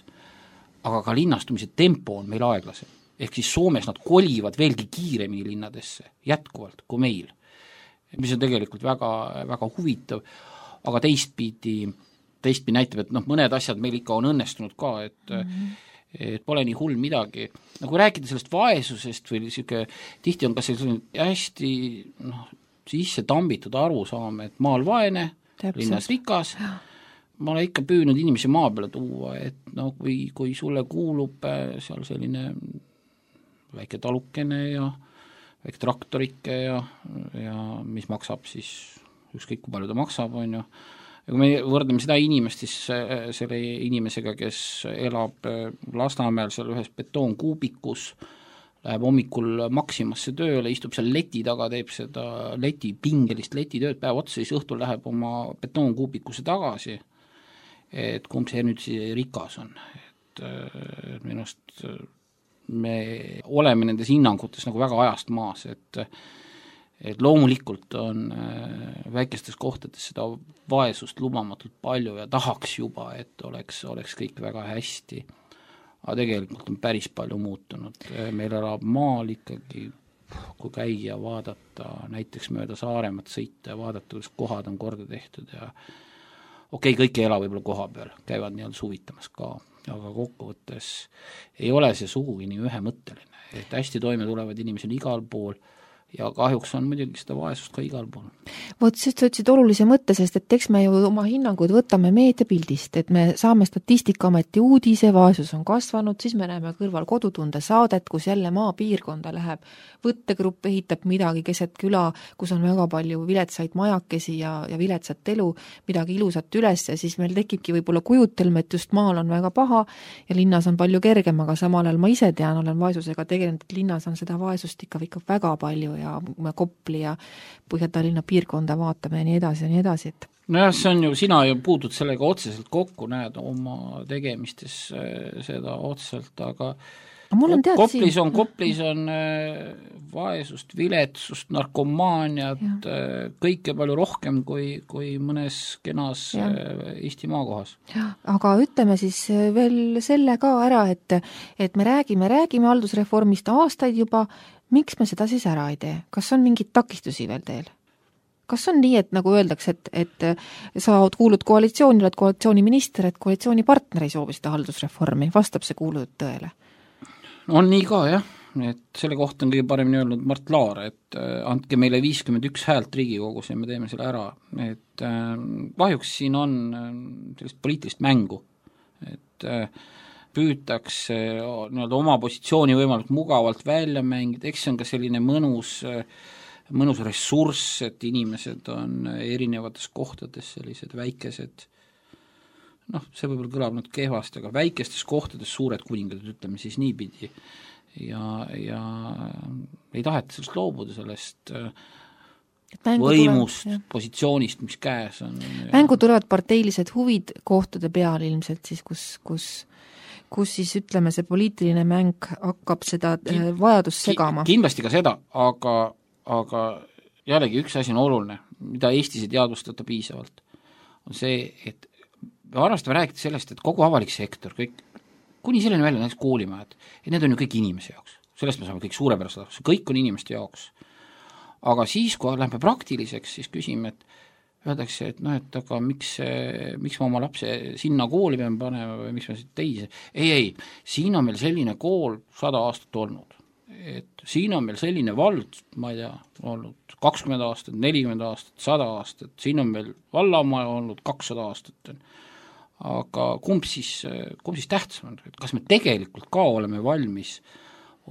aga ka linnastumise tempo on meil aeglasem. Ehk siis Soomes nad kolivad veelgi kiiremini linnadesse, jätkuvalt kui meil, mis on tegelikult väga, väga huvitav, aga teistpidi näitab, et mõned asjad meil ikka on õnnestunud ka, et pole nii hull midagi. Nagu rääkida sellest vaesusest või tihti on ka selline hästi sisse tambitud arusaam, et maal vaene, linnas rikas. Ma olen ikka püüdnud inimesi maa peale tuua, et kui sulle kuulub seal selline väike talukene ja väike traktorike ja mis maksab siis, ükskõik kui palju ta maksab, on ju. Ja kui me võrdleme seda inimest siis selle inimesega, kes elab Lasnamäel seal ühes betoonkuubikus, läheb hommikul Maximasse tööle, istub seal leti taga, teeb seda pingelist letitööd päev otsa, siis õhtul läheb oma betoonkuubikusse tagasi, et kumb see nüüd rikas on. Et minust me oleme nendes hinnangutes nagu väga ajast maas, et loomulikult on väikestes kohtades seda vaesust lubamatult palju ja tahaks juba, et oleks kõik väga hästi. Aga tegelikult on päris palju muutunud. Meil elab maal ikkagi, kui käia vaadata, näiteks mööda Saaremat sõita ja vaadata, kuidas kohad on korda tehtud ja kõik ei ela võib-olla koha peal, käivad nii-öelda suvitamas ka, aga kokkuvõttes ei ole see sugugi nii ühemõtteline, et hästi toime tulevad inimesed igal pool ja kahjuks on muidugi seda vaesust ka igal pool. Vot sest sa ütlesid olulise mõtte, sest et eks me ju oma hinnangud võtame meediapildist, et me saame Statistikaameti uudise, vaesus on kasvanud, siis me näeme kõrval Kodutunde saadet, kus jälle maapiirkonda läheb, võttegrupp ehitab midagi keset küla, kus on väga palju viletsaid majakesi ja viletsat elu, midagi ilusat üles ja siis meil tekibki võib-olla kujutelm, et just maal on väga paha ja linnas on palju kergem, aga samal ajal ma ise tean, olen vaesusega tegelenud, et linnas on seda vaesust ikka väga palju ja Kopli ja Põhja-Tallinna piirkonda vaatame ja nii edasi, et nojah, see on ju, sina ju puutud sellega otseselt kokku, näed oma tegemistes seda otseselt, aga Koplis on vaesust, viletsust, narkomaaniat, kõike palju rohkem kui mõnes kenas Eesti maakohas. Aga ütleme siis veel selle ka ära, et me räägime haldusreformist aastaid juba, miks me seda siis ära ei tee? Kas on mingid takistusi veel teil? Kas on nii, et nagu öeldakse, et sa kuulud koalitsiooni, oled koalitsiooniminister, et koalitsioonipartner ei soovi seda haldusreformi, vastab see kuulutud tõele? On nii ka, jah, et selle kohta on kõige paremini öelnud Mart Laar, et andke meile 51 häält Riigikogus ja me teeme selle ära, et kahjuks siin on sellist poliitilist mängu, et püütakse nii-öelda oma positsiooni võimalikult mugavalt välja mängida, eks see on ka selline mõnus ressurss, et inimesed on erinevates kohtades sellised väikesed, see võib-olla kõlab nüüd kehvasti, aga väikestes kohtades suured kuningad, ütleme siis niipidi, ja ei taheta sellest loobuda, sellest võimust, positsioonist, mis käes on. Mängu tulevad parteilised huvid kohtade peal ilmselt siis, kus siis ütleme, see poliitiline mäng hakkab seda vajadust segama. Kindlasti ka seda, aga jällegi üks asi on oluline, mida Eestis ei teadvustata piisavalt, on see, et me arvastame rääkida sellest, et kogu avalik sektor, kõik, kuni selleni välja näiteks koolimajad, et need on ju kõik inimese jaoks. Sellest me saame kõik suurepärast, kõik on inimeste jaoks. Aga siis, kui lähme praktiliseks, siis küsime, et öeldakse, et et aga miks ma oma lapse sinna kooli pean panema või miks ma siit teise. Ei, siin on meil selline kool 100 aastat olnud. Et siin on meil selline vald, ma ei tea, olnud 20 aastat, 40 aastat, 100 aastat, siin on meil vallamaja olnud 200 aastat. Aga kumb siis tähtsam on, et kas me tegelikult ka oleme valmis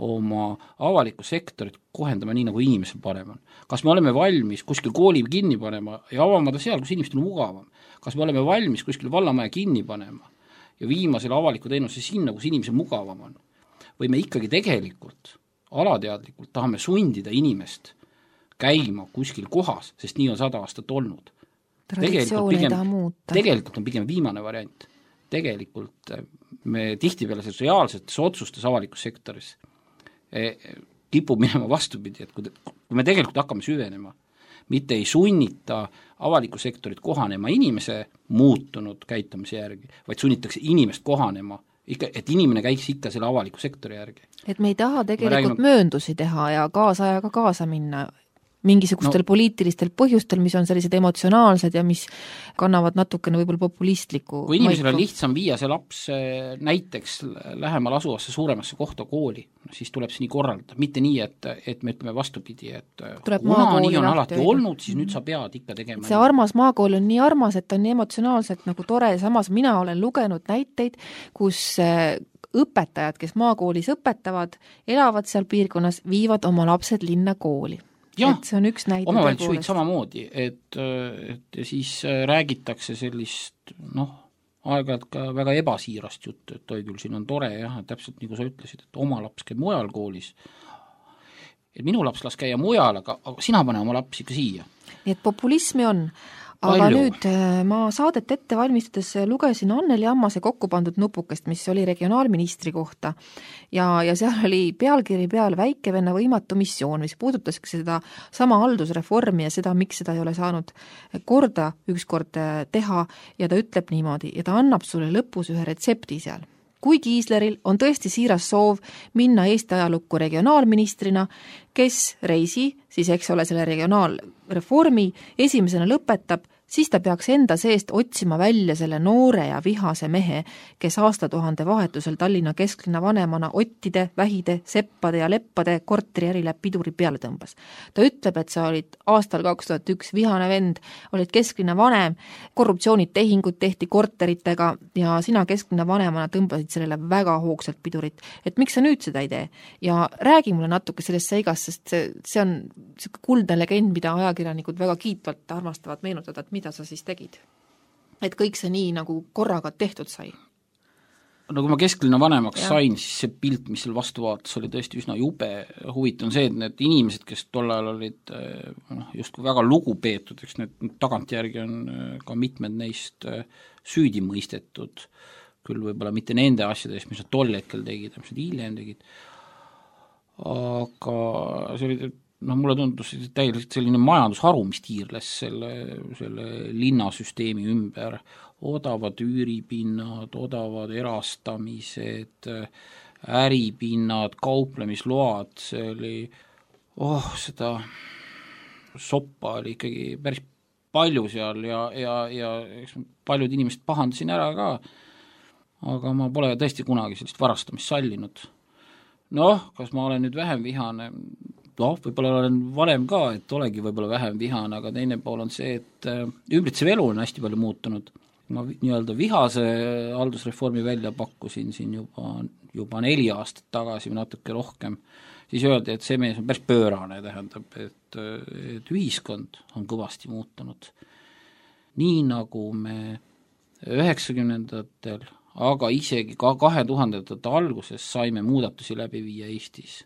oma avalikku sektorit kohendama nii, nagu inimesel parem on. Kas me oleme valmis kuskil kooli kinni panema ja avamada seal, kus inimestel on mugavam? Kas me oleme valmis kuskil vallamaja kinni panema ja viima selle avaliku teenuse sinna, kus inimesel mugavam on? Või me ikkagi tegelikult, alateadlikult tahame sundida inimest käima kuskil kohas, sest nii on 100 aastat olnud. Tegelikult on pigem viimane variant. Tegelikult me tihtipeale selles reaalsetes otsustes avalikus sektoris kipub minema vastupidi, et kui me tegelikult hakkame süvenema, mitte ei sunnita avaliku sektorit kohanema inimese muutunud käitumise järgi, vaid sunnitakse inimest kohanema, et inimene käiks ikka selle avaliku sektori järgi. Et me ei taha tegelikult mööndusi teha ja kaasajaga kaasa minna mingisugustel poliitilistel põhjustel, mis on sellised emotsionaalsed ja mis kannavad natukene võib-olla populistliku kui inimesel on lihtsam viia see laps näiteks lähemal asuvasse suuremasse kohta kooli, siis tuleb see nii korraldada, mitte nii, et me ütleme vastupidi, et kuna nii on alati olnud, siis nüüd sa pead ikka tegema. See armas maakool on nii armas, et on nii emotsionaalselt nagu tore, samas mina olen lugenud näiteid, kus õpetajad, kes maakoolis õpetavad, elavad seal piirkonnas, viivad oma lapsed linna kooli. Et see on üks näide. Omavalitsusjuhid samamoodi, et siis räägitakse sellist, aeg-ajalt ka väga ebasiirast juttu, et toi küll siin on tore, jah, täpselt nagu sa ütlesid, et oma laps käib mujal koolis. Et minu laps las käia mujal, aga sina pane oma laps ikka siia. Nii et populismi on. Aga nüüd ma saadet ette valmistades lugesin Anneli Ammase kokku pandud nupukest, mis oli regionaalministri kohta ja seal oli pealkiri peal väikevenna võimatu missioon, mis puudutaski seda sama haldusreformi ja seda, miks seda ei ole saanud korda ükskord teha ja ta ütleb niimoodi ja ta annab sulle lõpus ühe retsepti seal. Kui Kiisleril on tõesti siiras soov minna Eesti ajalukku regionaalministrina, kes reisi, siis eks ole selle regionaalreformi esimesena lõpetab, siis ta peaks enda seest otsima välja selle noore ja vihase mehe, kes aastatuhande vahetusel Tallinna kesklinna vanemana ottide, vähide, seppade ja leppade korteriärile piduri peale tõmbas. Ta ütleb, et sa olid aastal 2001 vihane vend, olid kesklinna vanem, korruptsioonid tehingud tehti korteritega ja sina kesklinna vanemana tõmbasid sellele väga hoogsalt pidurit. Et miks sa nüüd seda ei tee? Ja räägi mulle natuke sellest seigast, sest see on kuldne legend, mida ajakirjanikud väga kiitvalt armastavad meenutada, et mida sa siis tegid? Et kõik see nii nagu korraga tehtud sai? No kui ma kesklinna vanemaks sain, siis see pilt, mis seal vastu vaatas, oli tõesti üsna jube. Huvitav on see, et need inimesed, kes tol ajal olid justkui väga lugupeetud, eks need tagantjärgi on ka mitmed neist süüdi mõistetud, küll võib-olla mitte nende asjades, mis nad tol hetkel tegid, mis nad hiljem tegid, aga see oli mulle tundus täielikult selline majandusharu, mis tiirles selle linnasüsteemi ümber, odavad üüripinnad, odavad erastamised, äripinnad, kauplemisload, see oli, seda soppa oli ikkagi päris palju seal ja paljud inimesed pahandasin ära ka, aga ma pole tõesti kunagi sellist varastamist sallinud. Kas ma olen nüüd vähem vihane? Võib-olla olen varem ka, et olegi võib-olla vähem vihane, aga teine pool on see, et ümbritsev elu on hästi palju muutunud. Ma nii-öelda vihase haldusreformi välja pakkusin siin juba 4 aastat tagasi või natuke rohkem, siis öeldi, et see mees on päris pöörane, tähendab, et ühiskond on kõvasti muutunud. Nii nagu me 90-ndatel aga isegi ka 2000-ndate alguses saime muudatusi läbi viia Eestis.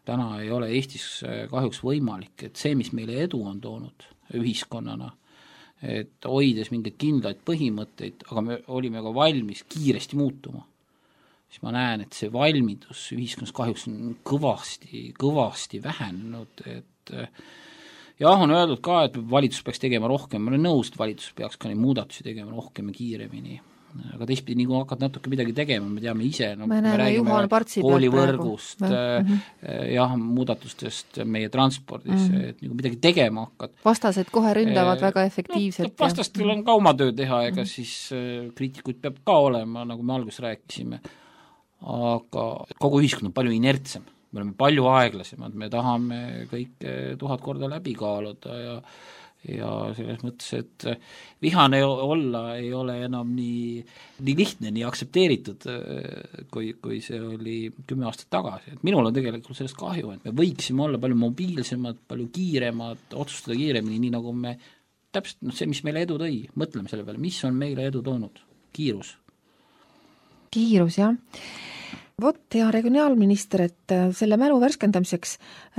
Täna ei ole Eestis kahjuks võimalik, et see, mis meile edu on toonud ühiskonnana, et hoides mingeid kindlaid põhimõtteid, aga me olime ka valmis kiiresti muutuma, siis ma näen, et see valmidus ühiskonnas kahjuks on kõvasti vähenenud, et jah, on öeldud ka, et valitsus peaks tegema rohkem, ma olen nõus, et valitsus peaks ka neid muudatusi tegema rohkem ja kiiremini, aga teistpidi, nii kui hakkad natuke midagi tegema, me teame ise, me räägime koolivõrgust, jah, muudatustest meie transpordis, et nagu midagi tegema hakkad. Vastased kohe ründavad väga efektiivselt. Vastastel on ka oma töö teha, ega siis kriitikuid peab ka olema, nagu me alguses rääkisime, aga kogu ühiskond on palju inertsem, me oleme palju aeglasemad, me tahame kõik 1000 korda läbi kaaluda ja selles mõttes, et vihane olla ei ole enam nii lihtne, nii aktsepteeritud, kui see oli 10 aastat tagasi. Et minul on tegelikult sellest kahju, et me võiksime olla palju mobiilsemad, palju kiiremad, otsustada kiiremini, nii nagu me täpselt see, mis meile edu tõi, mõtleme selle peale, mis on meile edu toonud? Kiirus, jah. Vot, hea regionaalminister, et selle mälu värskendamiseks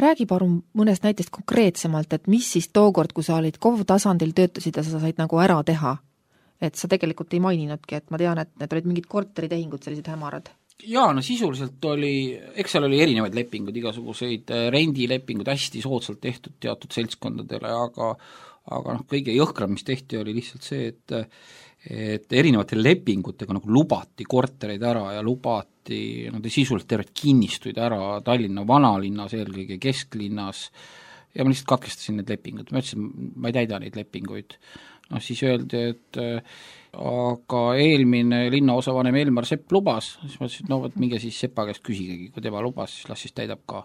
räägi palun mõnest näitest konkreetsemalt, et mis siis tookord, kui sa olid KOV tasandil töötasid ja sa said nagu ära teha, et sa tegelikult ei maininudki, et ma tean, et need olid mingid korteritehingud, sellised hämarad. Jaa, no sisuliselt eks seal oli erinevaid lepinguid, igasuguseid rendilepinguid hästi soodsalt tehtud teatud seltskondadele, aga kõige jõhkram, mis tehti, oli lihtsalt see, et erinevate lepingutega nagu lubati kortereid ära ja lubati sisuliselt tervet kinnistuid ära Tallinna vanalinnas, eelkõige kesklinnas, ja ma lihtsalt katkestasin need lepingud, ma ütlesin, ma ei täida neid lepinguid. Siis öeldi, et aga eelmine linnaosavanem Elmar Sepp lubas, siis ma ütlesin, et minge siis Sepa käest küsigegi, kui tema lubas, siis las siis täidab ka.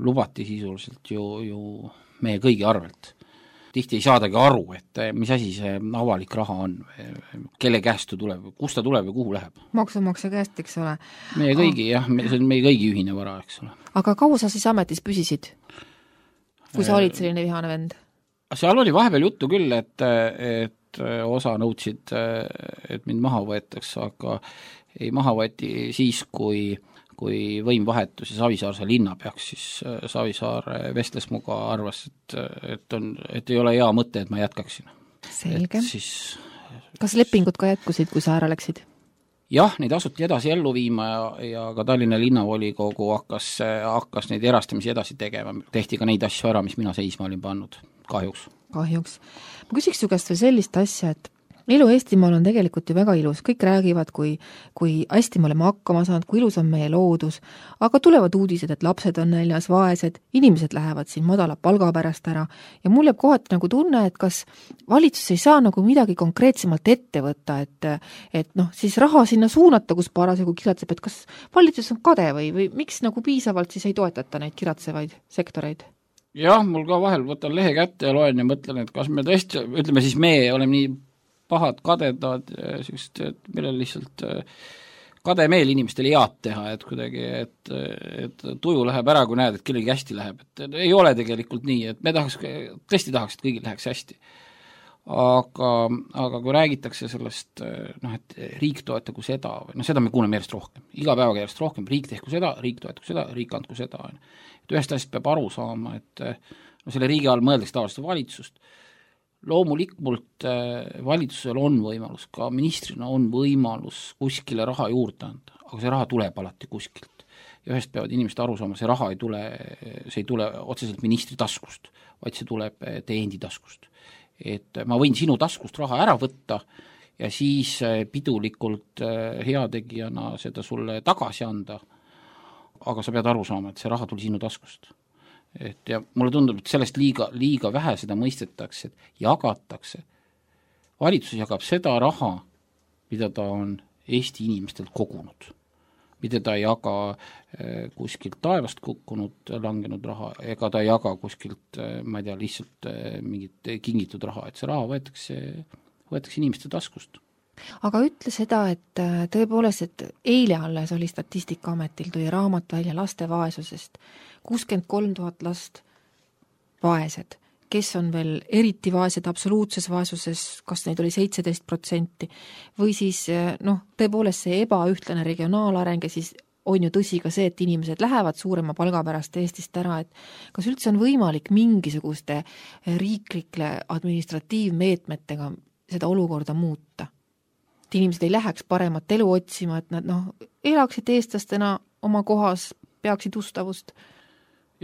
Lubati sisuliselt ju meie kõigi arvelt. Tihti ei saadagi aru, et mis asi see avalik raha on, kelle käest ta tuleb, kust ta tuleb ja kuhu läheb. Maksumaksja käest, eks ole. Meie kõigi, jah, see on meie kõigi ühine vara, eks ole. Aga kaua sa siis ametis püsisid, kui sa olid selline vihane vend? Seal oli vahepeal juttu küll, et osa nõudsid, et mind maha võetaks, aga ei maha võeti siis, kui võim vahetus ja Savisaarse linna peaks, siis Savisaar vestles muga, arvas, et ei ole hea mõte, et ma jätkaksin. Selge. Kas lepingud ka jätkusid, kui sa ära läksid? Jah, neid asuti edasi ellu viima ja ka Tallinna linnavolikogu hakkas neid erastamisi edasi tegema. Tehti ka neid asju ära, mis mina seisma olin pannud, kahjuks. Ma küsiks su käest veel sellist asja, et elu Eestimaal on tegelikult ju väga ilus, kõik räägivad, kui hästi me oleme hakkama saanud, kui ilus on meie loodus, aga tulevad uudised, et lapsed on näljas, vaesed, inimesed lähevad siin madala palga pärast ära ja mul jääb kohati nagu tunne, et kas valitsus ei saa nagu midagi konkreetsemalt ette võtta, et siis raha sinna suunata, kus parasjagu kiratseb, et kas valitsus on kade või miks nagu piisavalt siis ei toetata neid kiratsevaid sektoreid? Jah, mul ka vahel võtan lehe kätte ja loen ja mõtlen, et kas me tõesti, ütleme siis me oleme nii pahad kadedad, et meil on lihtsalt kade meel inimestele head teha, et kuidagi, et tuju läheb ära, kui näed, et kellegi hästi läheb, et ei ole tegelikult nii, et me tõesti tahaks, et kõigil läheks hästi. Aga kui räägitakse sellest, et riik toetagu seda, seda me kuuleme järjest rohkem, iga päevaga järjest rohkem, riik tehku seda, riik toetagu seda, riik andku seda. Et ühest asjast peab aru saama, et selle riigi all mõeldakse tavaliselt valitsust. Loomulikult valitsusel on võimalus, ka ministrina on võimalus kuskile raha juurde anda, aga see raha tuleb alati kuskilt. Ja ühest peavad inimesed aru saama, see raha ei tule otseselt ministri taskust, vaid see tuleb teie endi taskust. Et ma võin sinu taskust raha ära võtta ja siis pidulikult heategijana seda sulle tagasi anda, aga sa pead aru saama, et see raha tuli sinu taskust. Ja mulle tundub, et sellest liiga vähe seda mõistetakse, et jagatakse. Valitsus jagab seda raha, mida ta on Eesti inimestelt kogunud, mida ta ei jaga kuskilt taevast kukkunud, langenud raha, ega ta ei jaga kuskilt, ma ei tea, lihtsalt mingit kingitud raha, et see raha võetakse inimeste taskust. Aga ütle seda, et tõepoolest, et eile alles oli Statistikaametil tuli raamat välja laste vaesusest, 63 000 last vaesed. kes on veel eriti vaesed absoluutses vaesuses, kas neid oli 17%, või siis tõepoolest see ebaühtlane regionaalareng ja siis on ju tõsi ka see, et inimesed lähevad suurema palga pärast Eestist ära, et kas üldse on võimalik mingisuguste riiklike administratiivmeetmetega seda olukorda muuta? Et inimesed ei läheks paremat elu otsima, et nad elaksid eestlastena oma kohas, peaksid ustavust,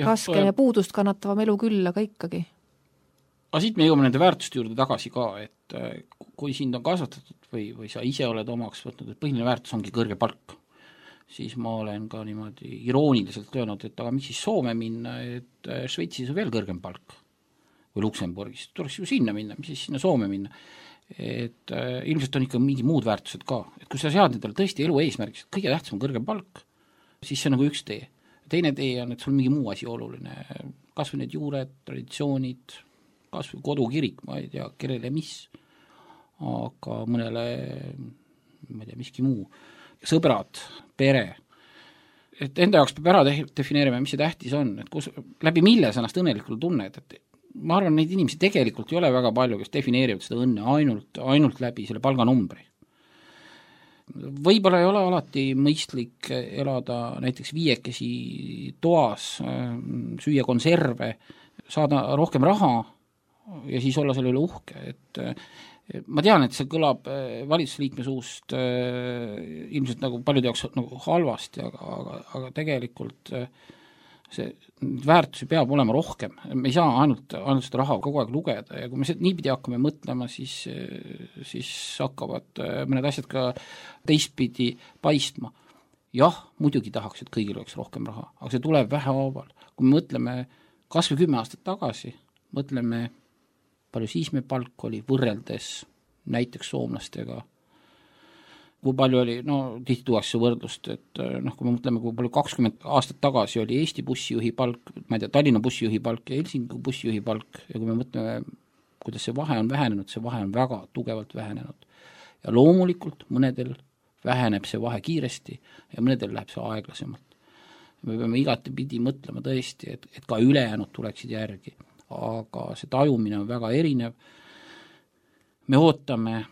raskem ja puudust kannatavam elu küll, aga ikkagi. Aga siit me jõuame nende väärtuste juurde tagasi ka, et kui sind on kasvatatud või sa ise oled omaks võtnud, et põhiline väärtus ongi kõrge palk, siis ma olen ka niimoodi irooniliselt öelnud, et aga miks siis Soome minna, et Šveitsis on veel kõrgem palk või Luksemburgis, tuleks ju sinna minna, mis siis sinna Soome minna. Et ilmselt on ikka mingi muud väärtused ka, et kui sa sead endale tõesti elu eesmärgiks, et kõige tähtsam on kõrgem palk, siis see on nagu üks tee. Teine tee on, et sul mingi muu asi oluline, kas või need juured, traditsioonid, kas või kodukirik, ma ei tea, kellele mis, aga mõnele, ma ei tea, miski muu, sõbrad, pere, et enda jaoks peab ära defineerima, mis see tähtis on, et läbi mille sa ennast õnnelikul tunned, et ma arvan, neid inimesi tegelikult ei ole väga palju, kes defineerivad seda õnne ainult läbi selle palganumbri. Võib-olla ei ole alati mõistlik elada näiteks 5 toas, süüa konserve, saada rohkem raha ja siis olla selle üle uhke, et ma tean, et see kõlab valitsusliikme suust ilmselt nagu paljude jaoks nagu halvasti, aga tegelikult see väärtusi peab olema rohkem, me ei saa ainult seda raha kogu aeg lugeda ja kui me niipidi hakkame mõtlema, siis hakkavad mõned asjad ka teistpidi paistma. Jah, muidugi tahaks, et kõigil oleks rohkem raha, aga see tuleb vähehaaval. Kui me mõtleme kas või 10 aastat tagasi, mõtleme, palju siis me palk oli võrreldes näiteks soomlastega, kui palju oli, tihti tuuakse võrdlust, et kui me mõtleme, kui palju 20 aastat tagasi oli Eesti bussijuhi palk, ma ei tea, Tallinna bussijuhi palk ja Helsingi bussijuhi palk ja kui me mõtleme, kuidas see vahe on vähenenud, see vahe on väga tugevalt vähenenud. Ja loomulikult mõnedel väheneb see vahe kiiresti ja mõnedel läheb see aeglasemalt. Me peame igatepidi mõtlema tõesti, et ka ülejäänud tuleksid järgi, aga see tajumine on väga erinev. Me ootame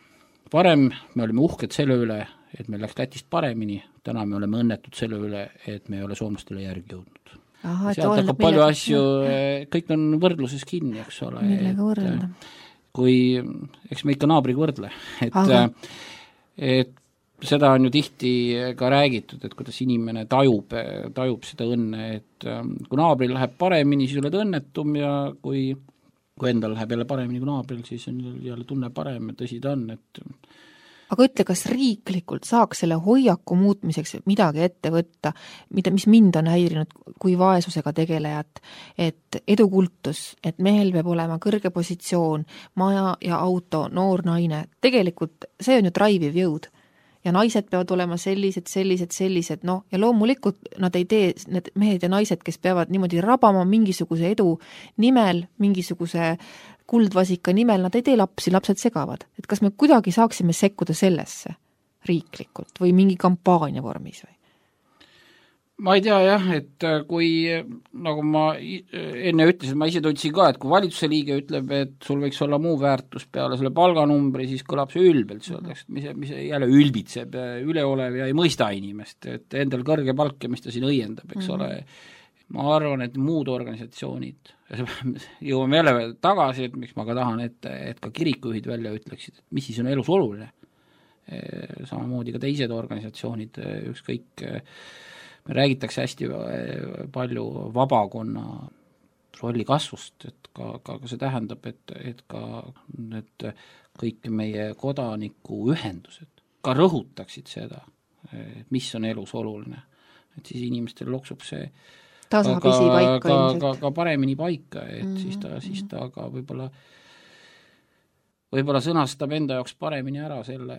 varem me olime uhked selle üle, et meil läks Lätist paremini, täna me oleme õnnetud selle üle, et me ei ole soomlastele järgi jõudnud. Sealt hakkab palju asju, kõik on võrdluses kinni, eks ole. Millega võrrelda? Eks me ikka naabriga võrdle, et seda on ju tihti ka räägitud, et kuidas inimene tajub seda õnne, et kui naabril läheb paremini, siis oled õnnetum ja kui endal läheb jälle paremini kui naabril, siis on jälle tunne parem, et tõsi ta on, et aga ütle, kas riiklikult saaks selle hoiaku muutmiseks midagi ette võtta, mis mind on häirinud kui vaesusega tegelejat, et edukultus, et mehel peab olema kõrge positsioon, maja ja auto, noor naine, tegelikult see on ju draiviv jõud. Ja naised peavad olema sellised, ja loomulikult nad ei tee, need mehed ja naised, kes peavad niimoodi rabama mingisuguse edu nimel, mingisuguse kuldvasika nimel, nad ei tee lapsi, lapsed segavad. Et kas me kuidagi saaksime sekkuda sellesse riiklikult või mingi kampaania vormis või? Ma ei tea jah, et kui, nagu ma enne ütlesin, ma ise tundsin ka, et kui valitsuse liige ütleb, et sul võiks olla muu väärtus peale selle palganumbri, siis kõlab see ülbelt, mis jälle ülbitseb, üleolev ja ei mõista inimest, et endal kõrge palk ja mis ta siin õiendab, eks ole. Ma arvan, et muud organisatsioonid, jõuame jälle tagasi, et miks ma ka tahan, et ka kirikujuhid välja ütleksid, et mis siis on elus oluline. Samamoodi ka teised organisatsioonid, ükskõik me räägitakse hästi palju vabakonna rolli kasvust, et ka see tähendab, et ka need kõik meie kodanikuühendused ka rõhutaksid seda, mis on elus oluline. Et siis inimestel loksub see ka paremini paika, et siis ta ka võib-olla sõnastab enda jaoks paremini ära selle,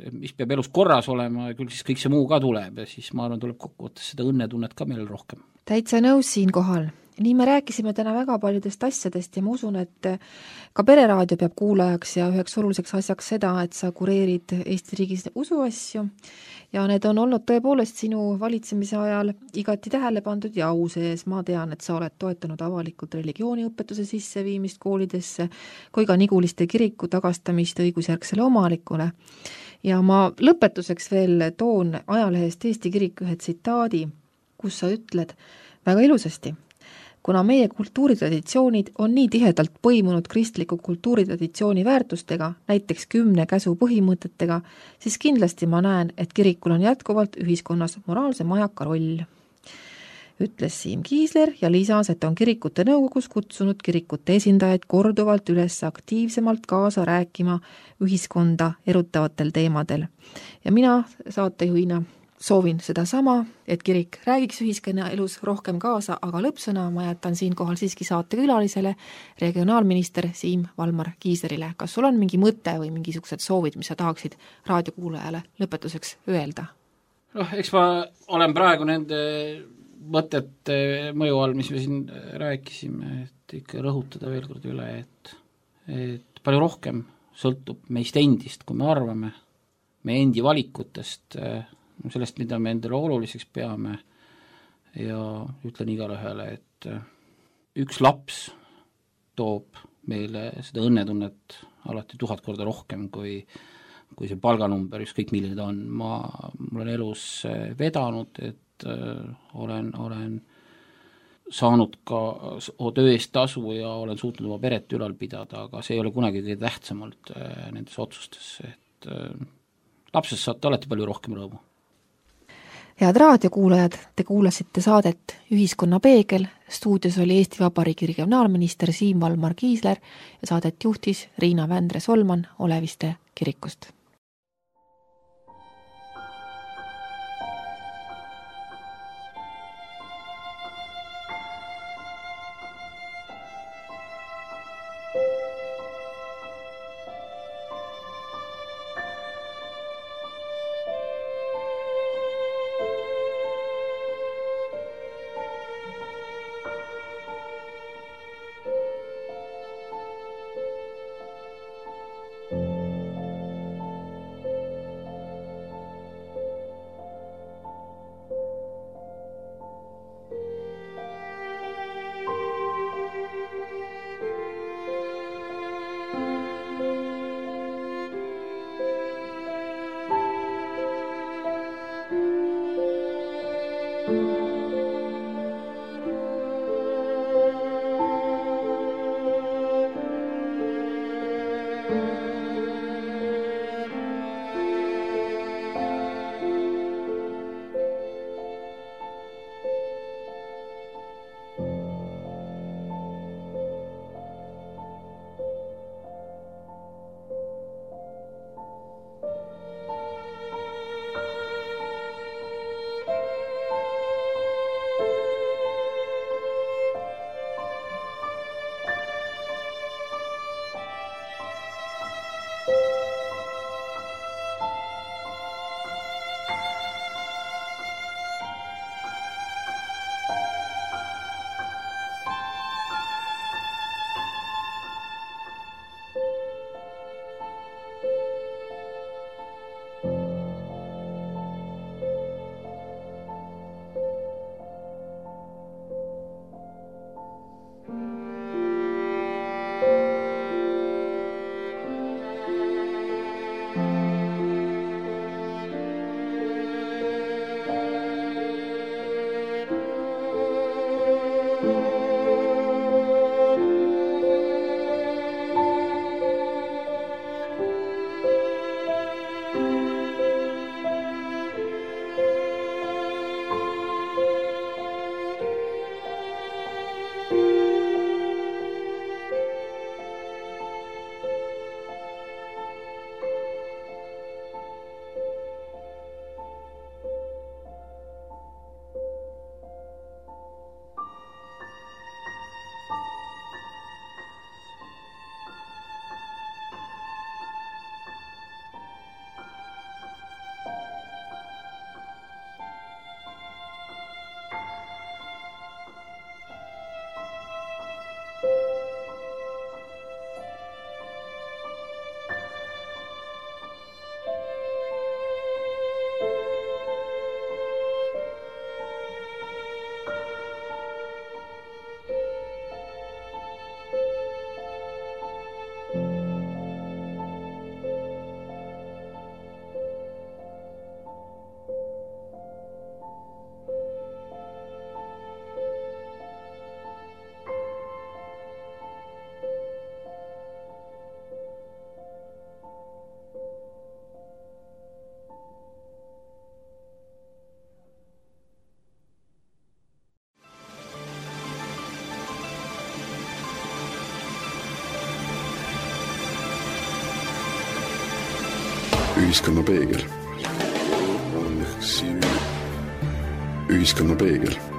mis peab elus korras olema ja küll siis kõik see muu ka tuleb ja siis ma arvan, tuleb kokkuvõttes seda õnnetunnet ka meil rohkem. Täitsa nõus siinkohal nii me rääkisime täna väga paljudest asjadest ja ma usun, et ka Pereraadio peab kuulajaks ja üheks oluliseks asjaks seda, et sa kureerid Eesti riigis usuasju ja need on olnud tõepoolest sinu valitsemise ajal igati tähele pandud ja au sees. Ma tean, et sa oled toetanud avalikult religiooniõpetuse sisseviimist koolidesse kui ka Niguliste kiriku tagastamist õigusjärgsele omanikule. Ja ma lõpetuseks veel toon ajalehest Eesti Kirik ühe tsitaadi, kus sa ütled väga ilusasti: kuna meie kultuuritraditsioonid on nii tihedalt põimunud kristliku kultuuritraditsiooni väärtustega, näiteks 10 käsu põhimõtetega, siis kindlasti ma näen, et kirikul on jätkuvalt ühiskonnas moraalse majaka roll. Ütles Siim Kiisler ja lisas, et on kirikute nõukogus kutsunud kirikute esindajaid korduvalt üles aktiivsemalt kaasa rääkima ühiskonda erutavatel teemadel. Ja mina saatejuhina soovin seda sama, et kirik räägiks ühiskonna elus rohkem kaasa, aga lõppsõna ma jätan siinkohal siiski saatekülalisele, regionaalminister Siim Valmar Kiislerile. Kas sul on mingi mõte või mingisugused soovid, mis sa tahaksid raadiokuulajale lõpetuseks öelda? Eks ma olen praegu nende mõtete mõju all, mis me siin rääkisime, et ikka rõhutada veel kord üle, et palju rohkem sõltub meist endist, kui me arvame, meie endi valikutest, sellest, mida me endale oluliseks peame ja ütlen igale ühele, et üks laps toob meile seda õnnetunnet alati 1000 korda rohkem kui see palganumber, ükskõik milline ta on. Mul on elus vedanud, et olen saanud ka töö eest tasu ja olen suutnud oma peret ülal pidada, aga see ei ole kunagi kõige tähtsamalt nendes otsustes, et lapsest saate alati palju rohkem rõõmu. Head raadiokuulajad, te kuulasite saadet Ühiskonna peegel. Stuudios oli Eesti Vabariigi regionaalminister Siim Valmar Kiisler ja saadet juhtis Riina Vändre-Solman Oleviste kirikust. Ühiskonnapeegel. Ühiskonnapeegel.